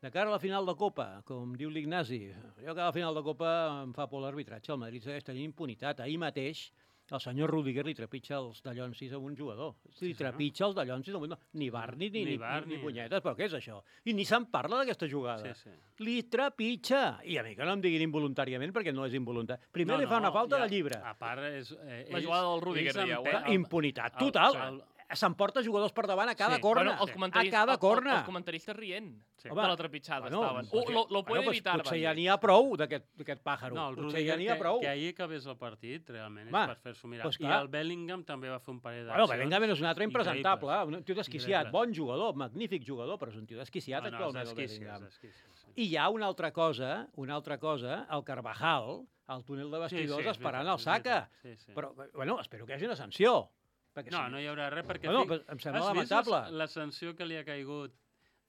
De cara a la final de Copa, com diu l'Ignasi, jo que a la final de Copa em fa por l'arbitratge, el Madrid segueix tenint impunitat. Ahir mateix el senyor Rudiger li trepitja els dallonsis a un jugador. Li Sí, trepitja els dallonsis a un... Ni bar ni, ni, Ni ni, bar, ni, ni ni- punyetes, però què és això? I ni se'n parla d'aquesta jugada. Sí, sí. Li trepitja. I a mi que no em diguin involuntàriament, perquè no és involuntari. Primer No, li fa no, una falta ja, de llibre. A part, és, eh, La ells- jugada del Rudiger, ells dieu, empe- eh? el- Impunitat el- total. el- S'emporta jugadors per davant a cada Sí. corna. Bueno, els a comentaristes, cada el- corna. el- els comentaristes rient Sí. de la trepitjada Bueno, estaven. potser- Uh, lo, lo puede bueno, pues evitar, potser van ja dir. n'hi ha prou d'aquest d'aquest pàjaro. No, el potser Rudiger ja n'hi ha que, prou. que ahir acabés el partit, realment, és Va, per fer-s'ho mirar. doncs I clar. el Bellingham també va fer un parell d'accions. Bueno, Bellingham és un altre impresentable, increïbles. un tio desquiciat, Increïbles. bon jugador, magnífic jugador, però és un tio desquiciat No, no, actualment, els el esquícies, Bellingham. els esquícies, sí. I hi ha una altra cosa, una altra cosa, el Carvajal, al túnel de vestidors, és esperant veritat, el és Saka. veritat, Sí, sí. Però, bueno, espero que hi hagi una sanció. Perquè No, si- no hi haurà res perquè... Bueno, fi- però em sembla Has vist lamentable. la, la sanció que li ha caigut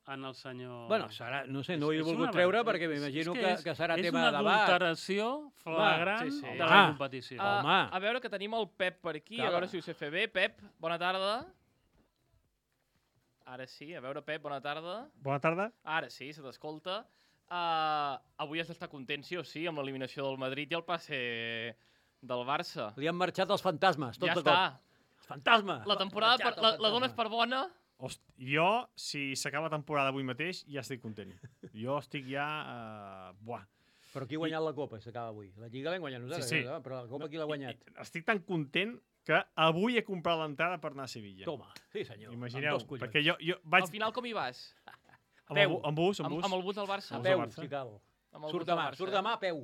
en el senyor... Bueno, serà, no sé, no ho És- he és volgut una treure ver- perquè és- m'imagino és que, és- que serà és tema de una debat. adulteració flagrant sí, sí. de la Ah. competició. Uh, Home. a veure, que tenim el Pep per aquí, Cala. a veure si ho sé fer bé. Pep, bona tarda. Ara sí, a veure, Pep, bona tarda. Bona tarda. Ara sí, se t'escolta. Uh, avui has d'estar content, sí o sí, amb l'eliminació del Madrid i el passe del Barça. Li han marxat els fantasmes, tot Ja de està. cop. Els fantasmes! La temporada Marxat per, el la, la dones fantasma. per bona? Host, jo, si s'acaba la temporada avui mateix, ja estic content. Jo estic ja... Uh, buah. Però qui ha guanyat la Copa, s'acaba avui? La Lliga l'hem guanyat nosaltres, Sí, sí. eh? Però la Copa qui l'ha guanyat? I- Estic tan content que avui he comprat l'entrada per anar a Sevilla. Toma, sí senyor. Imagineu, amb dos collons. perquè jo, jo vaig... Al final com hi vas? Amb, el, peu. bu- amb bus, amb Amb, bus. amb el bus del Barça? A Amb peu, Barça. si cal. Amb el Surt bus del demà, Barça, surt eh? demà a peu.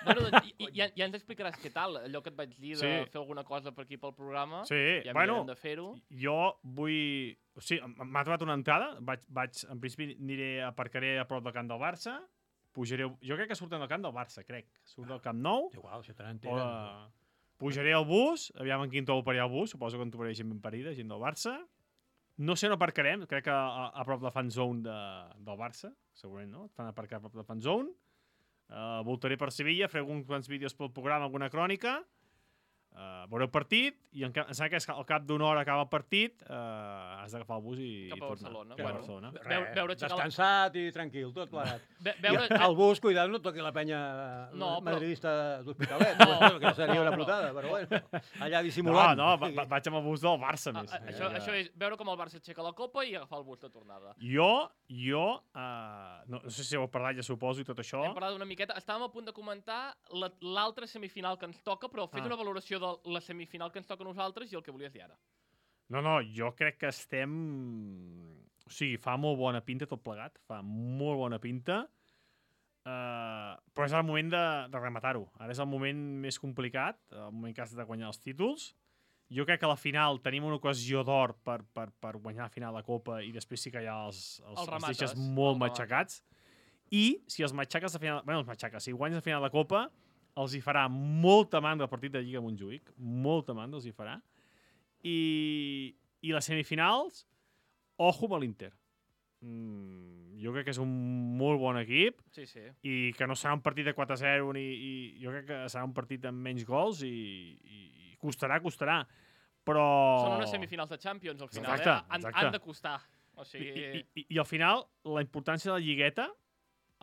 Bueno, doncs, i, i, ja, ja ens explicaràs què tal, allò que et vaig dir de Sí. fer alguna cosa per aquí pel programa. Sí, ja bueno, mirarem de fer-ho. jo vull... O sigui, m- m'ha trobat una entrada, vaig, vaig, en principi aniré, aparcaré a prop del camp del Barça, pujaré... Jo crec que surten del camp del Barça, crec. Surt del camp nou, Igual, si te o n'entenen. de... pujaré al bus, aviam en quin to parirà el bus, suposo que en trobaré gent ben parida, gent del Barça. No sé on aparcarem, crec que a, a prop de la fan zone de, del Barça, segurament, no? Et fan aparcar a prop de la fan zone. Uh, voltaré per Sevilla, faré alguns quants vídeos pel programa, alguna crònica, uh, veuré el partit, i en, em sembla que és que al cap d'una hora acaba el partit, uh, has d'agafar el bus i, Cap a i tornar. Barcelona, Cap a bueno. Barcelona. Res, Veu- veure aixecar la- descansat i tranquil, tot plegat. Ve, I veure, al bus, cuidado, no toqui la penya No, però- madridista d'Hospitalet, No, no, que seria una però- putada, però bueno, allà No, dissimulant. no, va, va, vaig amb el bus del Barça, a, més. a, això, això és veure com el Barça aixeca la copa i agafar el bus de tornada. Jo, jo, uh, no, no sé si heu parlat, ja suposo, i tot això. Hem parlat una miqueta. Estàvem a punt de comentar la- l'altra semifinal que ens toca, però fes Ah. una valoració de la semifinal que ens toca a nosaltres i el que volies dir ara. No, no, jo crec que estem... O sigui, fa molt bona pinta tot plegat, fa molt bona pinta, uh, però és el moment de, de rematar-ho. Ara és el moment més complicat, el moment que has de guanyar els títols. Jo crec que a la final tenim una ocasió d'or per, per, per guanyar la final de Copa i després sí que ja els, els, El els remates, deixes el molt remates. matxacats. I si els matxaques a final... Bueno, els matxaques, si guanyes a final de Copa, els hi farà molta mandra el partit de Lliga Montjuïc, molta mandra els hi farà. I, i les semifinals, ojo amb l'Inter. Mm, jo crec que és un molt bon equip Sí, sí. i que no serà un partit de quatre a zero ni, i jo crec que serà un partit amb menys gols i, i, i costarà, costarà. Però... Són unes semifinals de Champions, al final, Exacte, eh? Han, exacte. han de costar. O I, sigui... i, i, I al final, la importància de la lligueta,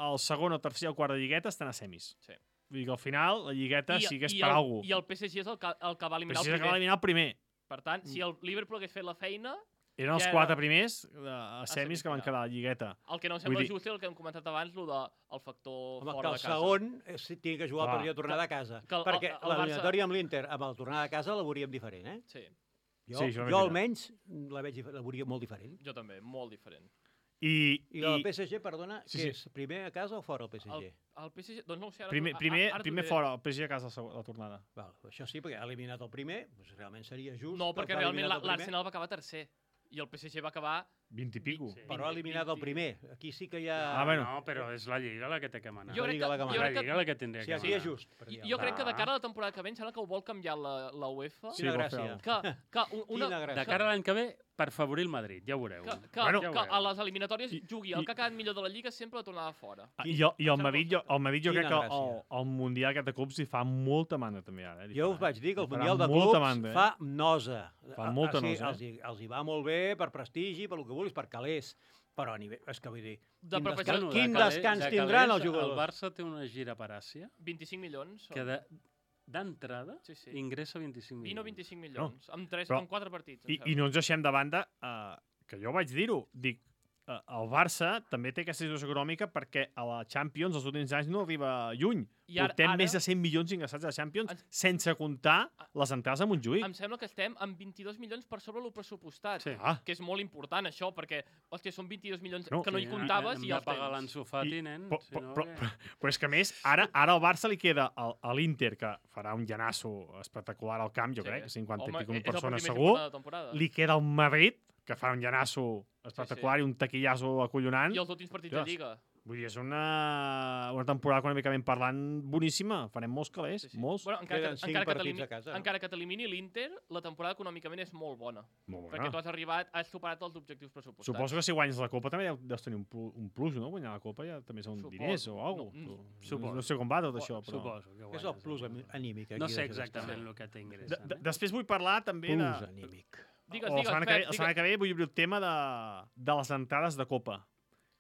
el segon, el tercer i el quart de lligueta estan a semis. Sí. Vull dir que al final la lligueta sí que és i per el, alguna I el P S G és el que, el que va cosa. eliminar Però si el s'acaba primer. d'eliminar el primer. Per tant, si el Liverpool hagués fet la feina, eren els Ja era- quatre primers eh, a semis que van semifinal. quedar a la lligueta. El que no em Vull sembla dir- just és el que hem comentat abans, el del factor Home, que fora el de casa. segon és, tiene que jugar Clar. el partit de tornada a casa. que el- perquè el- el l'eliminatòria amb l'Inter, amb el tornada a casa, la veuríem diferent, eh? Sí, Jo, Sí, això és jo veritat. almenys la, veig, dif- la veuria molt diferent. jo també, molt diferent. I, I el P S G, perdona, Sí, sí, sí. què és? Primer a casa o fora el P S G? El, el P S G, doncs no ho sé, ara... primer, t'ho- primer, ara t'ho primer diré. fora, el P S G a casa la seg- la tornada. Val, això sí, perquè ha eliminat el primer, doncs realment seria just. No, perquè ha realment eliminat la- el primer, l'Arsenal va acabar tercer i el P S G va acabar... vint i pico. Sí. Però ha eliminat el primer. Aquí sí que hi ha... Ah, bueno. No, però és la Lliga la que té que manar. Jo La crec Lliga que, la que jo mana. la crec que, Lliga la que tindria Sí, que aquí manar. és just. per dir jo, jo crec que de Ah. cara a la temporada que ve em sembla que ho vol canviar la, la UEFA. Sí, Quina vol gràcia. fer-ho. Que, que, un- una, Quina gràcia. De cara a l'any que ve, per favorir el Madrid, ja ho veureu. que, que, Bueno, que ja ho a veureu. les eliminatòries I- jugui i- el que ha quedat millor de la Lliga sempre la tornada fora. Ah, I, jo, i el Em sembla Madrid, jo, el Madrid jo Quina crec que el, gràcia. el Mundial aquest de clubs hi fa molta mandra també ara. Eh? Li Jo fa, us vaig dir que el li farà Mundial de molta Clubs mandra, eh? fa nosa. Fa molta Ah, sí, nosa, eh? Els, hi, els hi va molt bé per prestigi, per el que vulguis, per calés. Però a nivell... És que vull dir... De quin preparació- descans, Bueno, quin de calés- descans de tindran calés, els jugadors? El Barça té una gira per Àsia vint-i-cinc milions. que de- d'entrada Sí, sí. ingressa vint-i-cinc milions. vint o vint-i-cinc milions. Amb, tres, però- amb quatre partits. em I, sembla. I no ens deixem de banda, eh, que jo vaig dir-ho, dic, eh, el Barça també té aquesta situació econòmica perquè a la Champions els últims anys no arriba lluny. I ara- Portem ara- més de cent milions ingressats a la Champions Ens- sense comptar les entrades a Montjuïc. Em sembla que estem amb vint-i-dos milions per sobre el pressupostat. Sí. Ah, Que és molt important, això, perquè, hòstia, són vint-i-dos milions No. que no hi Sí, comptaves hem i de els pagar tens. l'Ansu Fati, I- nen. però, si però, no, però, què? però, però és que a més, ara, ara al Barça li queda el- a l'Inter, que farà un llanasso espectacular al camp, jo Sí. crec, cinquanta Home, i pico mil és el persones partit més segur. important de la temporada. Li queda el Madrid, que farà un llanasso espectacular Sí, i un taquillazo acollonant. I els últims partits Ostres. de Lliga. Vull dir, és una, una temporada econòmicament parlant boníssima. Farem molts calés, Sí, sí. molts. Bueno, encara, Queden que, cinc encara, que partits t'elimini- a casa, no? encara que t'elimini l'Inter, la temporada econòmicament és molt bona. Molt Perquè tu has arribat, has superat els objectius pressupostats. Suposo que si guanyes la Copa també deus tenir un, plu- un plus, no? Guanyar la Copa ja també són Suposo. diners o alguna No, cosa. mm, No, suposo. no sé com va tot això, però... Suposo que És el guanyes, plus no? ami- anímic. Aquí No sé d'aquest exactament estat. el que t'ingressa. De, de, després vull parlar també de... Plus anímic. Digues, o la digues, setmana, que ve, Pep, la setmana que ve vull obrir el tema de, de les entrades de Copa.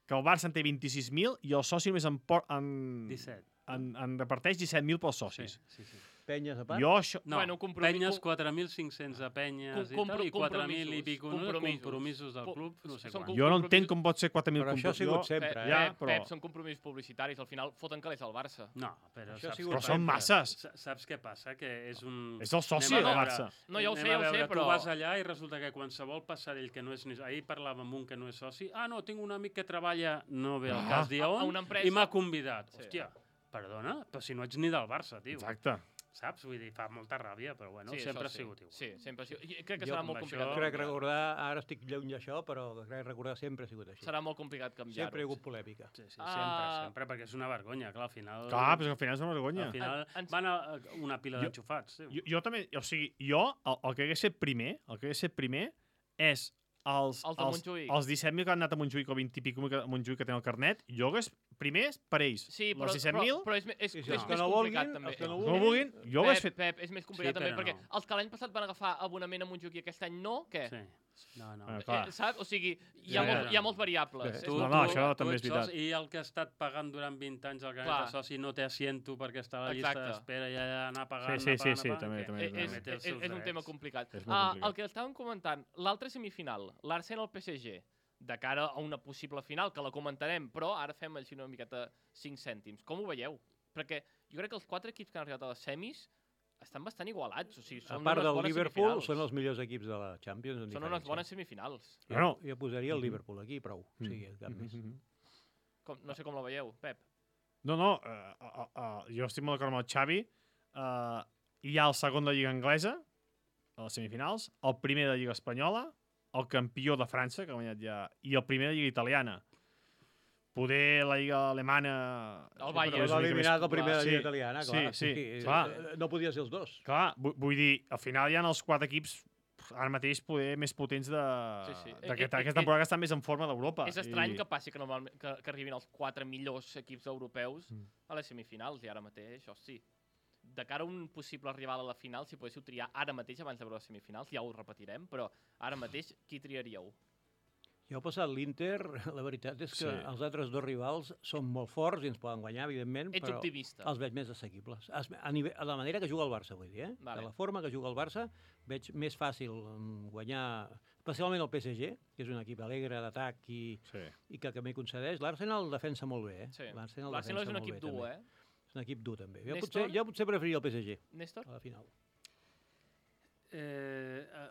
Que el Barça en té vint-i-sis mil i el soci només en, por, en, disset. en, en reparteix disset mil pels Sí, socis. sí, sí. Penyes a part? Jo això... No, Bueno, compromi- penyes com- quatre mil cinc-cents a penyes Com- i tal, i compro- quatre mil i compromisos, pico no, compromisos. compromisos del Co- club, no sé són quan. com- Jo no entenc com pot ser quatre mil Però això ha compromisos. sigut Jo- sempre, Pep, eh? Ja, Pep, però- Pep, són compromisos publicitaris, al final foten calés al Barça. No, però Això ha saps, sigut Però què- són sempre. masses. sa- saps què passa? Que és un... És el soci Anem a del veure- Barça. No, ja ho sé, anem ja a ho sé, veure, però- Tu vas allà i resulta que qualsevol passarell que no és... ni- Ahir parlàvem amb un que no és soci. Ah, no, tinc un amic que treballa, no ve al Ah. cas dir A- a on, una empresa. i m'ha convidat. Sí. Hòstia, perdona, però si no ets ni del Barça, tio. Exacte. Saps? Vull dir, fa molta ràbia, però bueno, Sí, sempre això ha sigut igual. Sí, sempre ha sigut. I crec que Jo serà amb molt això- complicat. Crec canviar. recordar, ara estic lluny d'això, però crec recordar sempre ha sigut així. Serà molt complicat canviar-ho. Sempre hi ha hagut polèmica. Sí, sí, Ah. sempre, sempre, perquè és una vergonya, clar, al final... Clar, però és que al final és una vergonya. Al final En- ens- van a a una pila Jo- d'enxufats. tio. Jo, jo també, o sigui, jo, el, el que hagués fet primer, el que hagués fet primer és els, Els de els, Montjuïc. els disset mil que han anat a Montjuïc o vint i pico mil que, a Montjuïc que tenen el carnet, jo hagués primer per ells. Sí, però, els disset però, mil, però és, me- és, I és, si els que més no complicat, vulguin, també. els que no no ho vulguin, jo ho hagués Pep, fet. Pep, és més complicat Sí, també, però perquè no. els que l'any passat van agafar abonament a Montjuïc i aquest any no, què? Sí. No, no. Ah, clar. Eh, saps? O sigui, hi ha, Ja, molt, ja. hi ha molts variables. Bé. És No, molt- no, això tu també ets és veritat. soci, I el que ha estat pagant durant vint anys el carnet Clar. de soci no té asiento perquè està a la llista Exacte. d'espera i ha d'anar pagant, Sí, sí, anar sí, pagant, sí, anar també, pagant, també, que Eh, també. és, té els és, seus és un tema drets. complicat. És molt Ah, complicat. el que estàvem comentant, l'altra semifinal, l'Arsenal-P S G, de cara a una possible final, que la comentarem, però ara fem així una miqueta cinc cèntims. Com ho veieu? Perquè jo crec que els quatre equips que han arribat a les semis estan bastant igualats. O sigui, A són part unes del bones Liverpool, semifinals. són els millors equips de la Champions. En Són unes diferència. bones semifinals. Jo, Bueno. jo posaria el Liverpool aquí, prou. O sigui, cap més. Mhm. Com, no sé com la veieu, Pep. No, no, uh, uh, uh, jo estic molt d'acord amb el Xavi. Uh, hi ha el segon de Lliga Anglesa, a les semifinals, el primer de Lliga Espanyola, el campió de França, que ha guanyat ja, i el primer de Lliga Italiana. Poder la Lliga Alemana... El Bayern. però és L'ha una mica eliminat més- el primer de la Sí, Lliga Italiana, clar. Sí, sí, eh, clar. eh, No podia ser els dos. Clar, vu- vull dir, al final hi ha els quatre equips pf, ara mateix poder més potents de- Sí, sí. d'aquesta Eh, eh, aquesta eh, temporada que estan més en forma d'Europa. És estrany I- que passi que, normalment, que, que arribin els quatre millors equips europeus Mm. a les semifinals, i ara mateix, hosti, de cara a un possible rival a la final, si poguéssiu triar ara mateix abans de veure les semifinals, ja ho repetirem, però ara mateix qui triaríeu? Ja ha passat l'Inter, la veritat és que Sí. els altres dos rivals són molt forts i ens poden guanyar, evidentment, Ets però optimista. els veig més assequibles. Es- A, nivell, a la manera que juga el Barça, vull dir, eh? Vale. De la forma que juga el Barça, veig més fàcil mm, guanyar, especialment el P S G, que és un equip alegre d'atac i, Sí. i que també concedeix. L'Arsenal defensa molt bé, eh? Sí. L'Arsenal L'Arsenal és defensa un molt equip bé, dur, també. eh? És un equip dur, també. Jo Néstor? potser, jo potser preferiria el P S G Néstor? a la final. Eh, eh,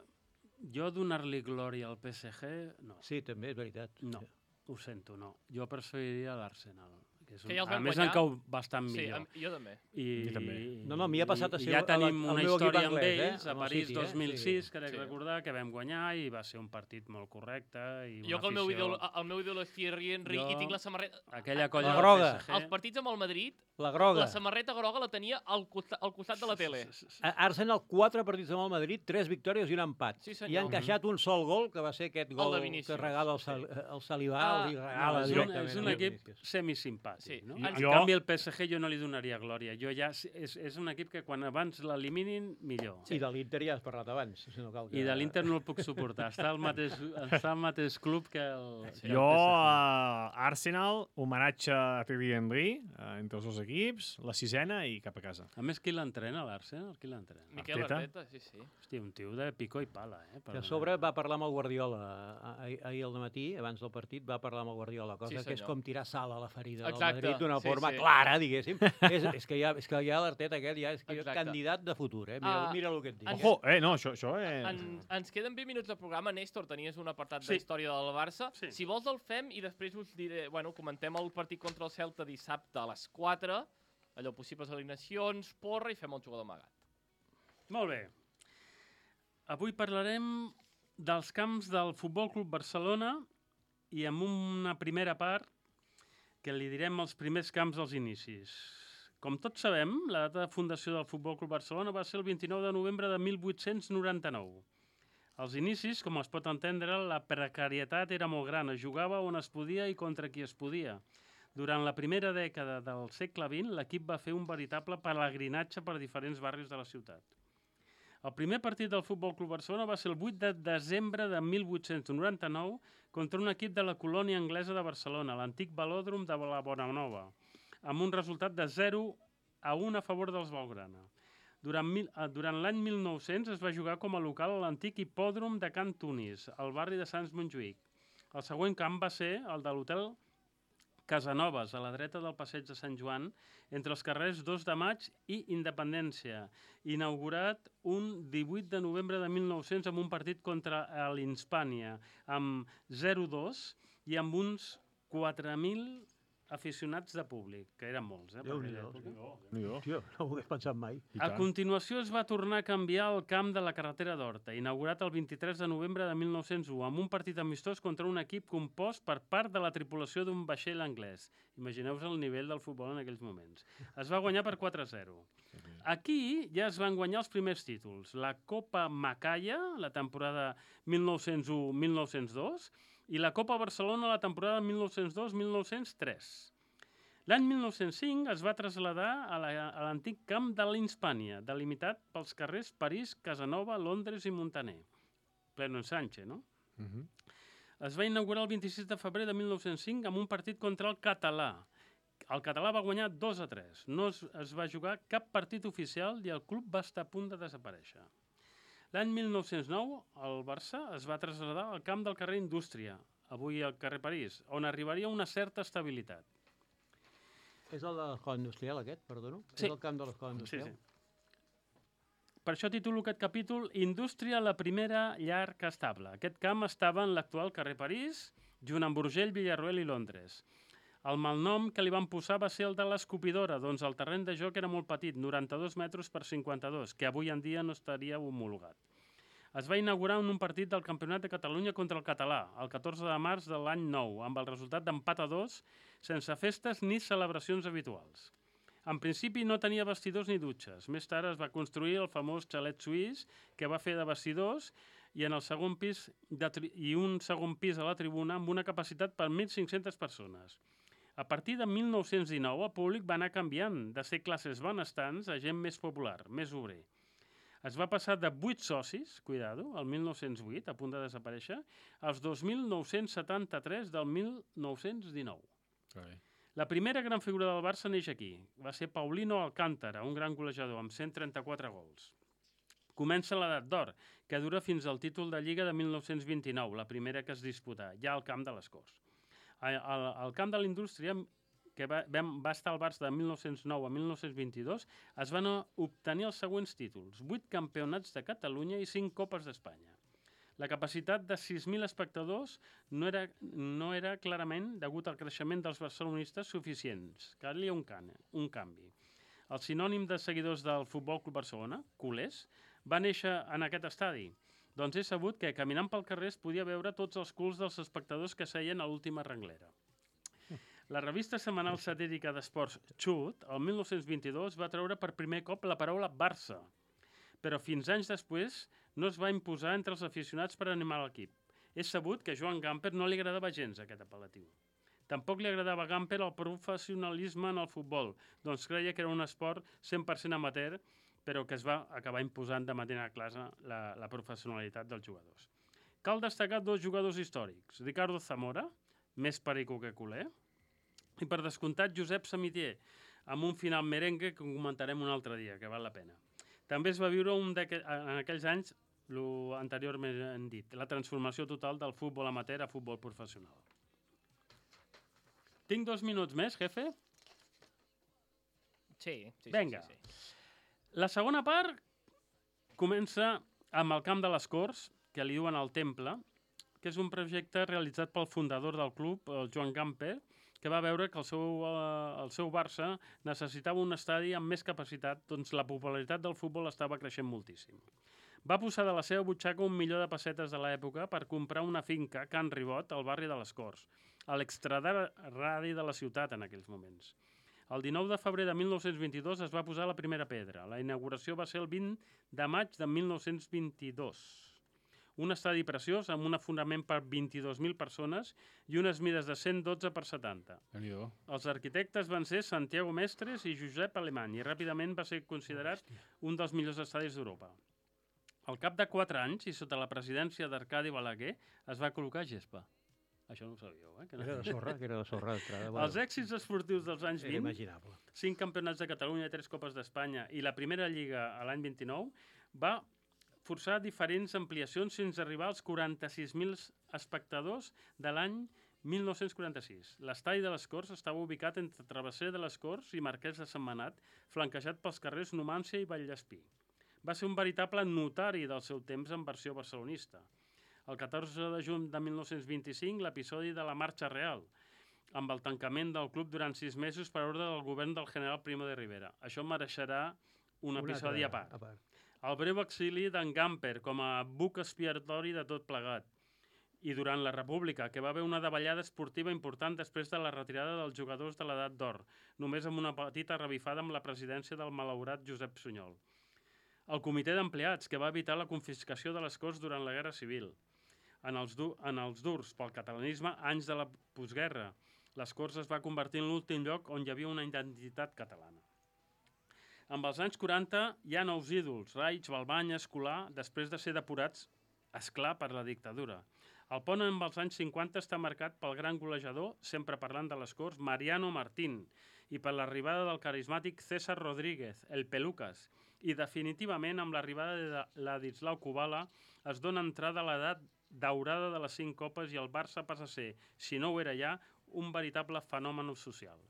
jo donar-li glòria al P S G, no. Sí, també, és veritat. No, ho sento, no. Jo preferiria l'Arsenal. Que, és un... Que ja els a van més, guanyar. em cau bastant Sí, millor. amb, jo també. I, Jo també. No, no, a mi ha passat a i ser ja el- tenim el una meu equip història amb anglès, eh? ells, a Amb el París City, eh? dos mil sis, Sí. crec Sí. recordar, que vam guanyar i va ser un partit molt correcte. I Jo que el una meu, afició... ídol, el meu ídol és Thierry Henry Jo- i tinc la samarreta... Aquella colla La del groga. P S G... Els partits amb el Madrid, La groga. la samarreta groga la tenia al costat, al costat de la tele. A- Arsenal, quatre partits amb el Madrid, tres victòries i un empat. Sí, senyor. I ha encaixat un sol gol, que va ser aquest El gol de que Vinícius. regala el, Sal, el Salivà, Ah, li No, regala és, un, directament. és un al equip Vinícius. semisimpàtic. Sí. No? En- En Jo- canvi, el P S G jo no li donaria glòria. Jo ja, és, és un equip que quan abans l'eliminin, millor. I de l'Inter ja has parlat abans. Si no cal que... I de l'Inter no el puc suportar. Està al mateix, està al mateix club que el, que el Jo, P S G. a Arsenal, homenatge a Thierry Henry, eh, entre els dos equips, la sisena i cap a casa. A més, qui l'entrena, l'Arsenal? Qui l'entrena? Miquel Arteta? Arteta, sí, sí. Hòstia, un tio de pico i pala, eh? Que a sobre va parlar amb el Guardiola ah, ahir, ahir al matí, abans del partit, va parlar amb el Guardiola, cosa Sí, que és senyor. com tirar sal a la ferida Exacte, del Madrid d'una sí, forma sí. clara, diguéssim. és, és, que ja, és que ja l'Arteta aquest ja és que Exacte. candidat de futur, eh? Mira, Ah, mira el que et dic. ens- Ojo, eh, no, això, això eh... En, ens queden vint minuts de programa. Néstor, tenies un apartat Sí. d'història del Barça. Sí. Si vols el fem i després us diré... Bueno, comentem el partit contra el Celta dissabte a les quatre, allò, possibles alineacions, porra i fem el jugador amagat. Molt bé. Avui parlarem dels camps del Futbol Club Barcelona i amb una primera part que li direm els primers camps dels inicis. Com tots sabem, la data de fundació del Futbol Club Barcelona va ser el vint-i-nou de novembre de mil vuit-cents noranta-nou. Als inicis, com es pot entendre, la precarietat era molt gran. Es jugava on es podia i contra qui es podia. Durant la primera dècada del segle vint, l'equip va fer un veritable pelegrinatge per diferents barris de la ciutat. El primer partit del Futbol Club Barcelona va ser el vuit de desembre de mil vuit-cents noranta-nou contra un equip de la colònia anglesa de Barcelona, l'antic velòdrom de la Bonanova, amb un resultat de zero a un a favor dels Blaugrana. Durant, mil, eh, durant l'any mil nou-cents es va jugar com a local a l'antic hipòdrom de Can Tunis, al barri de Sants Montjuïc. El següent camp va ser el de l'hotel Casanovas, a la dreta del passeig de Sant Joan, entre els carrers dos de maig i Independència, inaugurat un divuit de novembre de mil nou-cents amb un partit contra l'Hispània, amb zero dos i amb uns quatre mil aficionats de públic, que eren molts, eh? per aquella Déu-n'hi-do, època. Jo. Tio, no ho hagués pensat mai. I A tant. continuació es va tornar a canviar el camp de la carretera d'Horta, inaugurat el vint-i-tres de novembre de mil nou-cents u, amb un partit amistós contra un equip compost per part de la tripulació d'un vaixell anglès. Imagineu-vos el nivell del futbol en aquells moments. Es va guanyar per quatre a zero. Aquí ja es van guanyar els primers títols. La Copa Macaya, la temporada mil nou-cents u mil nou-cents dos, i la Copa Barcelona la temporada mil nou-cents dos mil nou-cents tres. L'any mil nou-cents cinc es va traslladar a la- a l'antic camp de l'Hispània, delimitat pels carrers París, Casanova, Londres i Montaner. Pleno ensanche, no? Mhm. Es va inaugurar el vint-i-sis de febrer de mil nou-cents cinc amb un partit contra el Català. El Català va guanyar dos a tres. No es, es va jugar cap partit oficial i el club va estar a punt de desaparèixer. L'any mil nou-cents nou, el Barça es va traslladar al camp del carrer Indústria, avui al carrer París, on arribaria una certa estabilitat. És el de l'escola industrial, aquest, perdono? Sí. És el camp de l'escola Sí, industrial? sí. Per això titulo aquest capítol Indústria, la primera llar que estable. Aquest camp estava en l'actual carrer París, junt amb Urgell, Villarroel i Londres. El malnom que li van posar va ser el de l'escopidora, doncs el terreny de joc era molt petit, noranta-dos metres per cinquanta-dos, que avui en dia no estaria homologat. Es va inaugurar en un partit del Campionat de Catalunya contra el Català, el catorze de març de l'any nou, amb el resultat d'empat a dos, sense festes ni celebracions habituals. En principi no tenia vestidors ni dutxes. Més tard es va construir el famós xalet suís que va fer de vestidors i, en el segon pis de tri... i un segon pis a la tribuna amb una capacitat per mil cinc-centes persones. A partir de mil nou-cents dinou el públic va anar canviant de ser classes benestants a gent més popular, més obrer. Es va passar de vuit socis, cuidado, el mil nou-cents vuit, a punt de desaparèixer, als dos mil nou-cents setanta-tres del mil nou-cents dinou. Carai. La primera gran figura del Barça neix aquí. Va ser Paulino Alcántara, un gran golejador, amb cent trenta-quatre gols. Comença l'edat d'or, que dura fins al títol de Lliga de mil nou-cents vint-i-nou, la primera que es disputà, ja al camp de les Corts. Al, al, al camp de la Indústria, que va, va estar al Barça de mil nou-cents nou a mil nou-cents vint-i-dos, es van obtenir els següents títols: vuit campionats de Catalunya i cinc copes d'Espanya. La capacitat de sis mil espectadors no era, no era clarament, degut al creixement dels barcelonistes, suficients. Calia un, can, un canvi. El sinònim de seguidors del Futbol Club Barcelona, culers, va néixer en aquest estadi. Doncs he sabut que, caminant pel carrer, es podia veure tots els culs dels espectadors que seien a l'última renglera. La revista setmanal satírica d'esports Xut, el mil nou-cents vint-i-dos, va treure per primer cop la paraula Barça, però fins anys després no es va imposar entre els aficionats per animar l'equip. És sabut que a Joan Gamper no li agradava gens aquest apel·latiu. Tampoc li agradava a Gamper el professionalisme en el futbol, doncs creia que era un esport cent per cent amateur, però que es va acabar imposant de manera clara la, la professionalitat dels jugadors. Cal destacar dos jugadors històrics, Ricardo Zamora, més perico que culer, i per descomptat Josep Samitier, amb un final merengue que comentarem un altre dia, que val la pena. També es va viure un en aquells anys, l'anteriorment hem dit, la transformació total del futbol amateur a futbol professional. Tinc dos minuts més, jefe? Sí, sí, Vinga. sí, sí, sí. La segona part comença amb el Camp de les Corts, que li diuen el Temple, que és un projecte realitzat pel fundador del club, el Joan Gamper, que va veure que el seu, eh, el seu Barça necessitava un estadi amb més capacitat, doncs la popularitat del futbol estava creixent moltíssim. Va posar de la seva butxaca un milió de pessetes de l'època per comprar una finca a Can Ribot, al barri de les Corts, a l'extraradi de la ciutat en aquells moments. El dinou de febrer de mil nou-cents vint-i-dos es va posar la primera pedra. La inauguració va ser el vint de maig de mil nou-cents vint-i-dos. Un estadi preciós amb un afonament per vint-i-dos mil persones i unes mides de cent dotze per setanta. Déu-n'hi-do. Els arquitectes van ser Santiago Mestres i Josep Alemany i ràpidament va ser considerat un dels millors estadis d'Europa. Al cap de quatre anys i sota la presidència d'Arcadi Balaguer es va col·locar gespa. Això no ho sabíeu, eh? Que no... Era de sorra, que era de sorra d'entrada. Els èxits esportius dels anys Era vint, imaginable. cinc campionats de Catalunya i tres copes d'Espanya i la primera lliga a l'any vint-i-nou, va forçar diferents ampliacions fins a arribar als quaranta-sis mil espectadors de l'any mil nou-cents quaranta-sis. L'estadi de les Corts estava ubicat entre Travesser de les Corts i Marquès de Sentmenat, flanquejat pels carrers Numància i Vallespí. Va ser un veritable notari del seu temps en versió barcelonista. El catorze de juny de mil nou-cents vint-i-cinc, l'episodi de la Marxa Real, amb el tancament del club durant sis mesos per ordre del govern del general Primo de Rivera. Això mereixerà un episodi a part. El breu exili d'en Gamper com a buc expiatori de tot plegat. I durant la República, que va haver una davallada esportiva important després de la retirada dels jugadors de l'edat d'or, només amb una petita revifada amb la presidència del malaurat Josep Sunyol. El comitè d'empleats, que va evitar la confiscació de les Corts durant la Guerra Civil. En els, du en els durs pel catalanisme, anys de la postguerra, les Corts es va convertir en l'últim lloc on hi havia una identitat catalana. Amb els anys quaranta hi ha nous ídols, Raig, Balbany, Escolà, després de ser depurats, esclar, per la dictadura. El pont amb els anys cinquanta està marcat pel gran golejador, sempre parlant de les Corts, Mariano Martín, i per l'arribada del carismàtic César Rodríguez, el Pelucas, i definitivament amb l'arribada de Ladislau Kubala es dona entrada a l'edat daurada de les cinc copes i el Barça passa a ser, si no ho era ja, un veritable fenomen social.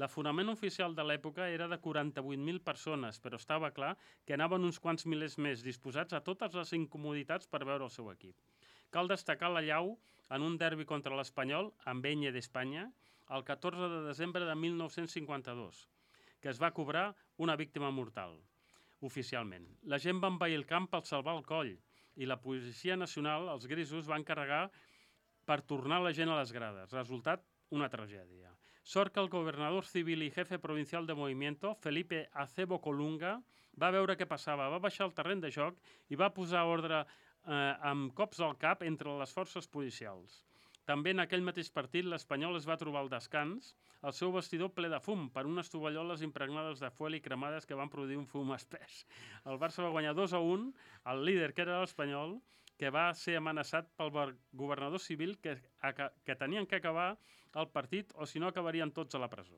L'afonament oficial de l'època era de quaranta-vuit mil persones, però estava clar que anaven uns quants milers més, disposats a totes les incomoditats per veure el seu equip. Cal destacar la llau en un derbi contra l'Espanyol, amb Enya d'Espanya, el catorze de desembre de mil nou-cents cinquanta-dos, que es va cobrar una víctima mortal, oficialment. La gent va envair el camp per salvar el coll, i la Policia Nacional, els grisos, van carregar per tornar la gent a les grades. Resultat, una tragèdia. Sort que el governador civil i jefe provincial de Movimiento, Felipe Acebo Colunga, va veure què passava, va baixar al terreny de joc i va posar ordre eh, amb cops al cap entre les forces policials. També en aquell mateix partit l'Espanyol es va trobar al descans el seu vestidor ple de fum per unes tovalloles impregnades de fuel i cremades que van produir un fum espès. El Barça va guanyar dos a un, el líder que era l'Espanyol, que va ser amenaçat pel governador civil que, que tenien que acabar el partit o si no acabarien tots a la presó.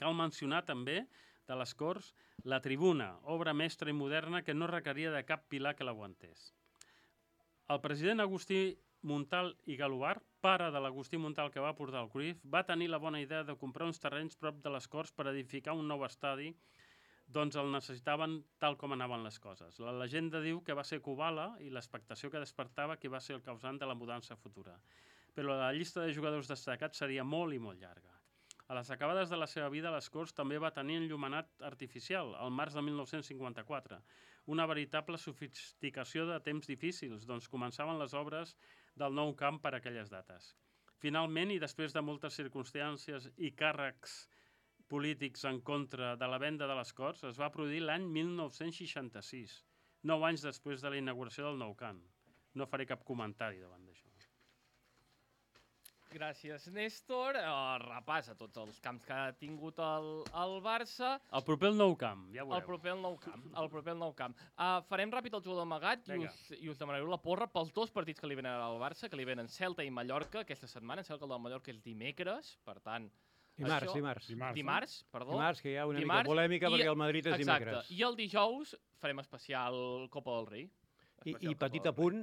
Cal mencionar també de les Corts la Tribuna, obra mestra i moderna que no requeria de cap pilar que l'aguantés. El president Agustí Montal i Galobar, pare de l'Agustí Montal que va portar el Cruyff, va tenir la bona idea de comprar uns terrenys prop de les Corts per edificar un nou estadi, doncs el necessitaven tal com anaven les coses. La llegenda diu que va ser Kubala i l'expectació que despertava qui va ser el causant de la mudança futura. Però la llista de jugadors destacats seria molt i molt llarga. A les acabades de la seva vida, les Corts també va tenir enllumenat artificial, al març de mil nou-cents cinquanta-quatre. Una veritable sofisticació de temps difícils, doncs començaven les obres del nou camp per aquelles dates. Finalment, i després de moltes circumstàncies i càrrecs polítics en contra de la venda de les Corts, es va produir l'any mil nou-cents seixanta-sis, nou anys després de la inauguració del nou camp. No faré cap comentari davant d'això. Gràcies, Néstor. Uh, repassa tots els camps que ha tingut el, el Barça. El proper el nou camp, ja veureu. El proper el nou camp. El proper el nou camp. Uh, farem ràpid el jugador amagat i us, i us demanareu la porra pels dos partits que li venen al Barça, que li venen Celta i Mallorca aquesta setmana. Em sembla que el del Mallorca és dimecres, per tant... Dimarts, això... dimarts. Dimarts, Dimarts, perdó. Dimarts, que hi ha una Dimarts, mica polèmica i... perquè el Madrid és Exacte. dimecres. I el dijous farem especial Copa del Rei. I, I petit apunt,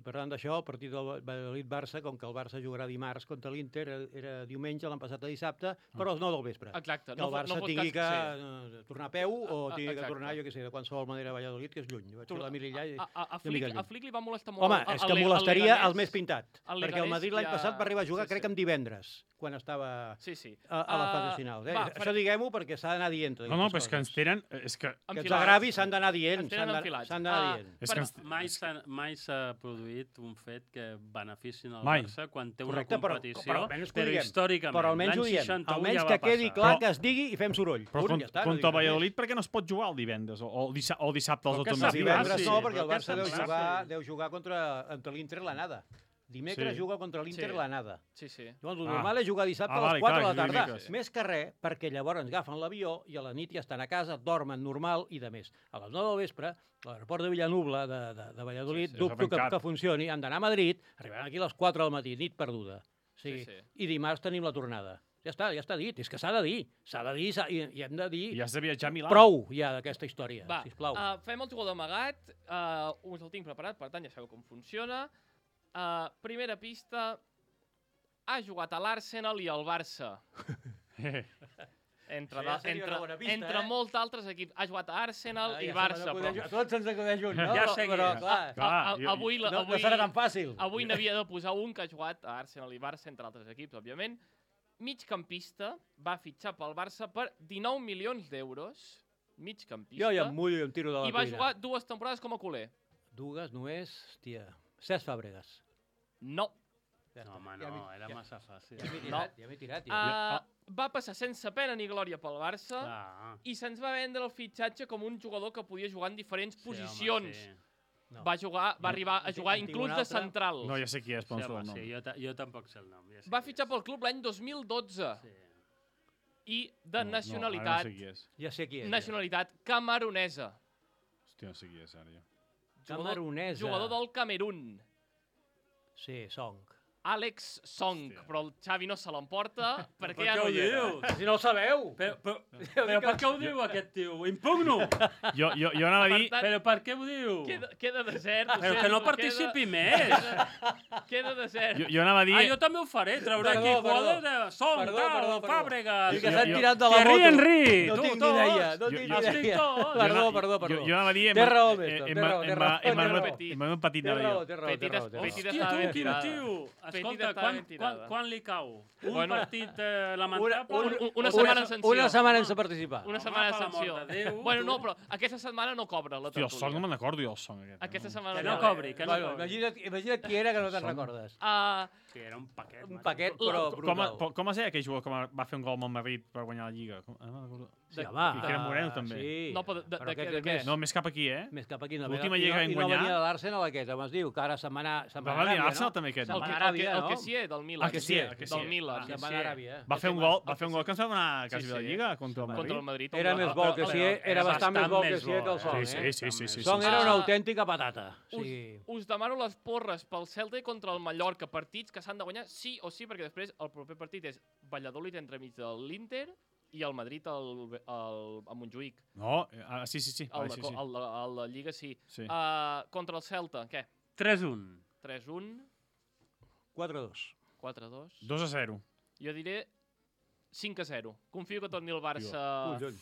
parlant d'això, el partit del Valladolid-Barça, com que el Barça jugarà dimarts contra l'Inter, era, era diumenge, l'han passat a dissabte, però a les nou del vespre. Exacte. Que el Barça no tingui que sí. tornar a peu o a, tingui exacte. que tornar, jo què sé, de qualsevol manera a Valladolid, que és lluny. Vaig fer l'Emili allà i a, a, a, Flick, a Flick li va molestar molt... Home, és que molestaria el més pintat, el perquè el Madrid l'any ja... passat va arribar a jugar, sí, crec, sí. amb divendres, quan estava sí, sí. a, a les Uh, fases finals. Eh? va, Això farem... diguem-ho perquè s'ha d'anar dient. No, no, però és que ens tenen... És que... Que els agravis s'han d'anar dient. Ens tenen enfilats. S'han d'anar Ah, dient. És que ens... Mai s'ha mai s'ha produït un fet que beneficien el Mai. Barça quan té Correcte, una però- competició, però almenys que ho però diguem. històricament. Però almenys ho L'any diem. seixanta-u Almenys ja que va quedi passar. clar Però- que es digui i fem soroll. Però Punt, con, ja està, no contra dic el res més. Valladolid, per què no es pot jugar el divendres o, o, dissa o dissabte als Però que automatismes? s'ha Divendres sí, no, perquè però el Barça que deu se'n jugar, passi. deu jugar contra, contra l'Inter l'anada. Dimecres Sí. juga contra l'Inter Sí. l'anada. Sí, sí. Llavors, el Ah. normal és jugar dissabte Ah, a les vale, quatre clar, de la tarda. dimecres. Més que res, perquè llavors agafen l'avió i a la nit ja estan a casa, dormen normal i de més. A les nou del vespre, a l'aeroport de Villanubla de, de, de Valladolid, Sí, sí. dubto que, Tancat. que funcioni, han d'anar a Madrid, arribaran aquí a les quatre del matí, nit perduda. O sigui, Sí, sí. I dimarts tenim la tornada. Ja està, ja està dit, és que s'ha de dir. S'ha de dir s'ha- i, i hem de dir I has de viatjar a Milà. prou ja d'aquesta història, Va, sisplau. uh, fem el jugador amagat. Uh, us el tinc preparat, per tant ja sabeu com funciona. Uh, primera pista... Ha jugat a l'Arsenal i al Barça. Entre, Això ja de, seria entre, una bona pista, entre eh? molts altres equips. Ha jugat a Arsenal Ah, i ja Barça. se m'acudeix- Però, A tots ens acudeix un, no? Ja Però- seguia. Però, clar, a, Clar, a, jo- avui, la- no, avui, no serà tan fàcil. avui n'havia de posar un que ha jugat a Arsenal i Barça, entre altres equips, òbviament. Migcampista, va fitxar pel Barça per dinou milions d'euros. Migcampista. Jo ja em mullo i em tiro de la I va cuina. jugar dues temporades com a culer. Dues, només, hòstia, Cesc Fàbregas. No. Ja No, està. home, Ja no, m'he- era ja- massa fàcil. Ja m'he tirat, ja m'he tirat. Ja. Uh, va passar sense pena ni glòria pel Barça Ah, i se'ns va vendre el fitxatge com un jugador que podia jugar en diferents sí, posicions. Home, sí. No. Va jugar, va arribar a en jugar tinc- en tinc inclús un de altre. central. No, ja sé qui és, però Sí, no sé home, el nom. sí, jo, ta jo tampoc sé el nom. Ja sé Va qui fitxar és. pel club l'any dos mil dotze Sí. i de No, nacionalitat, No, ara no sé qui és. Ja sé qui és. nacionalitat camerunesa. Hòstia, no sé qui és, ara jo. Ja. Camerunesa. Jugador del Camerún. Sí, Song. Àlex Song, Hòstia. però el Xavi no se l'emporta perquè Per ja què no ho hi era. dius? Si no el sabeu! Però, però, però per què ho diu aquest tio? Impugno! Jo, jo, jo anava a dir... Per tant, Però per què ho diu? Queda, queda desert. ho Però que sento, no participi més! Queda, queda desert. Jo, jo anava a dir... Ah, jo també ho faré, trauré Perdó, aquí perdó. jugadors de Son, Perdó, tal, perdó, perdó. Fàbregas... I que Jo- s'han jo- tirat de la Thierry moto. Henry! No tu, tinc ni tots. idea, no Jo- tinc jo- ni estic idea. tot. Perdó, jo, perdó, Jo, perdó. jo anava a dir... Té raó, em- Mestre, em- té raó, em- té em- raó, em- té em- raó. em- em- un petit Té anava raó, jo. té raó, té Petit raó. es- té raó. petit Hòstia, estava tu, ben quin tirada. tio! Petit Escolta, estava quan, ben quan, tirada. quan li cau? Un Bueno, partit eh, lamentable? un- un- una Una- setmana de sanció. Una setmana sense participar. Una Home, setmana de per l'amor sanció. de Déu, Bueno, tu. no, però aquesta setmana no cobra la Hòstia, el son no tertúlia. me'n recordo jo, el son aquest. Aquesta no? setmana Que no no. cobri, que no Bueno, cobri. imagina't, imagina't qui era que no te'n Som- recordes. Uh, Que era un paquet. Un macho. paquet, La- però Com, brutal. com, com es deia aquell jugador que va fer un gol amb el Madrid per guanyar la Lliga? Com, ah, no recordo. Sí, De- home. I que era Moreno, també. Sí. No, però de, de, Però de, aquest què- de és què? més- No, més cap aquí, eh? Més cap aquí. No, L'última i no- lliga que i vam no guanyar- venia de l'Arsenal aquest, com es diu, que ara se'n va anar, se'n va Va anar a venir Aràbia, l'Arsenal no? també aquest. Se'n El va que, anar a el, que, Aràbia, el no? que sí, del Milan. El que sí, el que sí. Del Milan, Ah, sí, Se'n va sí. anar a Aràbia. Va fer un sí. gol, va El fer un que gol que ens va donar Sí, quasi sí. la Lliga contra el Contra Madrid. el Madrid. Era un més gol. bo que sí, Era era bastant més bo que més sí bo, que el eh? Son, Sí, eh? sí, sí, sí, Son sí, era sí. una autèntica patata. Us, Sí. us demano les porres pel Celta i contra el Mallorca, partits que s'han de guanyar sí o sí, perquè després el proper partit és Valladolid entremig de l'Inter i el Madrid al, al, a Montjuïc. No, eh, ah, sí, sí, sí. El, Vale, de, sí, co- sí. el, de- el de Lliga sí. sí. Uh, contra el Celta, què? tres un. tres un, quatre dos. quatre dos. dos a zero. Jo diré cinc a zero. Confio que torni el Barça, Collons.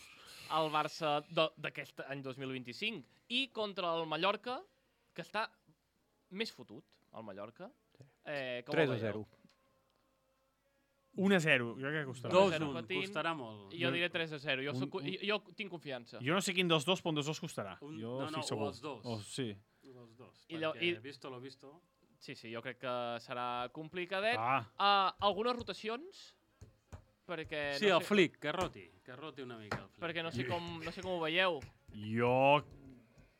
el Barça de- d'aquest any dos mil vint-i-cinc. I contra el Mallorca, que està més fotut, el Mallorca. Eh, com el tres a veieu? zero. un a zero. Jo crec que costarà. Dos. dos zero un. patint. Costarà molt. Jo diré tres a zero. Jo, Un- soc, un- jo, jo tinc confiança. Jo no sé quin dels dos, però un dels dos costarà. Un- jo no, no, estic o segur. els dos. O, sí. Els dos. I allò- perquè i- visto lo visto... Sí, sí, jo crec que serà complicadet. Ah, Uh, algunes rotacions? Perquè Sí, no el sé, flic, que roti. Que roti una mica el flic. perquè no sé com, no sé com ho veieu. jo...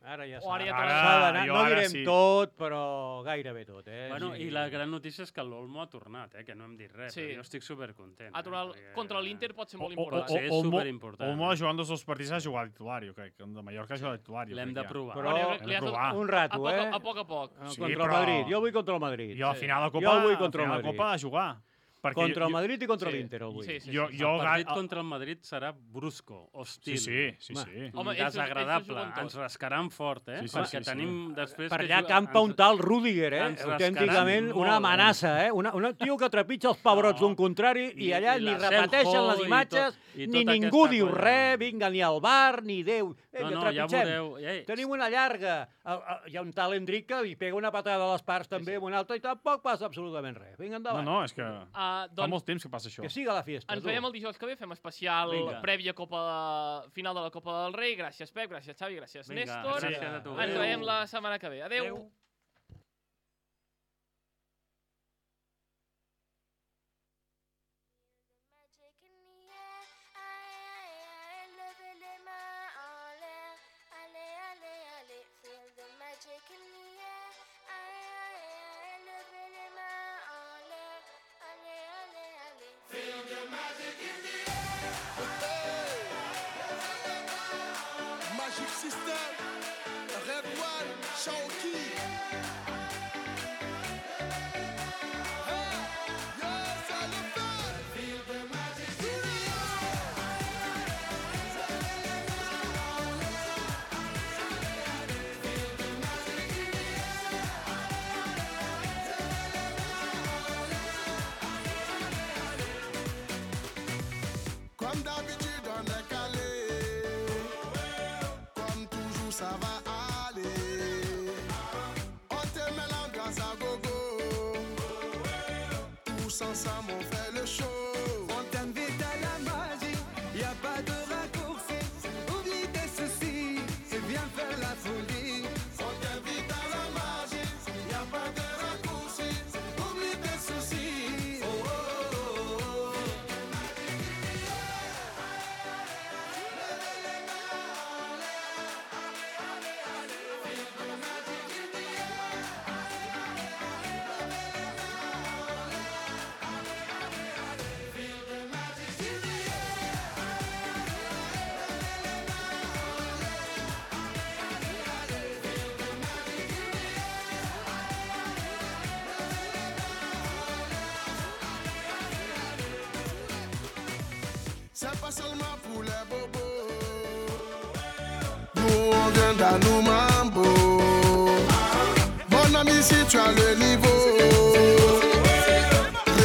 Ara ja O ara ja s'ha Ara, s'ha d'anar. jo No ara direm sí. tot, però gairebé tot, eh? Bueno, Sí. i la gran notícia és que l'Olmo ha tornat, eh? Que no hem dit res, Sí. però jo estic supercontent. A tornar eh? contra l'Inter pot ser molt O- o- important. Sí, és Olmo- superimportant. Olmo jugant els dos partits ha jugat de titular, jo crec. El de Mallorca ha jugat de titular. jo L'hem crec de ja. provar. Però- Bueno, jo crec hem que li de ha tot- provar. Un a, rato, poc, eh? a poc a poc. Ah, Sí, contra però- el Madrid. Jo vull contra el Madrid. I al Sí. final de Jo Copa, vull contra al final el de Madrid. Copa a jugar. Perquè Contra el jo- Madrid i contra Sí. l'Inter el vull. Sí, sí, Jo, sí. jo, El partit ga- contra el Madrid serà brusco, hostil. Sí, sí, sí, Home. sí. Home, ells- ells desagradable. juguen tot. Ens rascaran fort, eh? Sí, sí, Perquè sí, sí. tenim després... Per que allà juga- campa un ens- tal Rüdiger, eh? ens Autènticament rascaran una molt, amenaça, eh? Una, un tio que trepitja els pebrots No. d'un contrari i allà I ni la repeteixen Seljo les i imatges, tot- i ni tota ningú aquesta diu colla. res, vinga, ni al bar, ni Déu. No, Vinga, no, ja trepitgem. veureu. Eh, Tenim una llarga. El- el- Hi ha un tal Endric que li pega una patada a les parts també amb una altra i tampoc passa absolutament res. Vinga, No, endavant. no, és que Uh, fa doncs molt temps que passa això. Que siga la fiesta. ens tu. veiem el dijous que ve, fem especial Vinga. prèvia Copa, final de la Copa del Rei. Gràcies, Pep, gràcies, Xavi, gràcies, Vinga, Néstor. gràcies a tu. Ens Adéu. veiem la setmana que ve. Adéu. Adéu. Magic in the air, aïe aïe aïe, levez les mains en l'air, allez allez allez, feel the magic in the air, aïe aïe aïe, levez les mains en l'air, allez allez allez. Feel the magic in the Magic System, Red One, Shaoki. Hey, yes, I love that. Feel the magic in the Comme d'habitude, on est calé. Comme toujours, ça va aller. On te met l'ambiance à gogo. Tous ensemble, on fait le show. On t'invite à la magie. Y a pas de raccourci. Oublie tes soucis. Et viens faire la folie. On t'invite à la magie. Y a pas de raccourci. Oublie tes soucis. Oh, oh, oh, oh. C'est pas seulement pour les bobos. Nous on vient d'Anou Mambo. Mon ami, si tu as le niveau,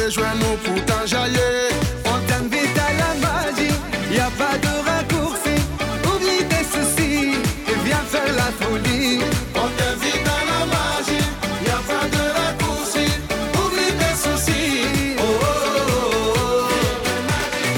rejoins-nous pour t'enjailler. On t'invite à la magie, y a pas de raccourci. Oublie tes soucis et viens faire la folie. On t'invite à la magie, y a pas de raccourci. Oublie tes soucis. Oh, oh, oh, oh.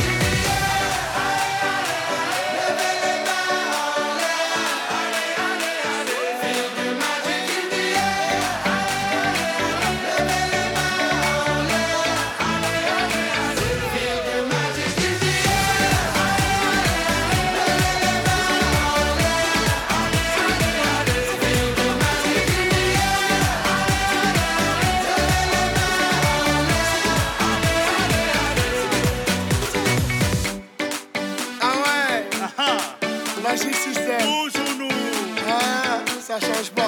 ça change pas.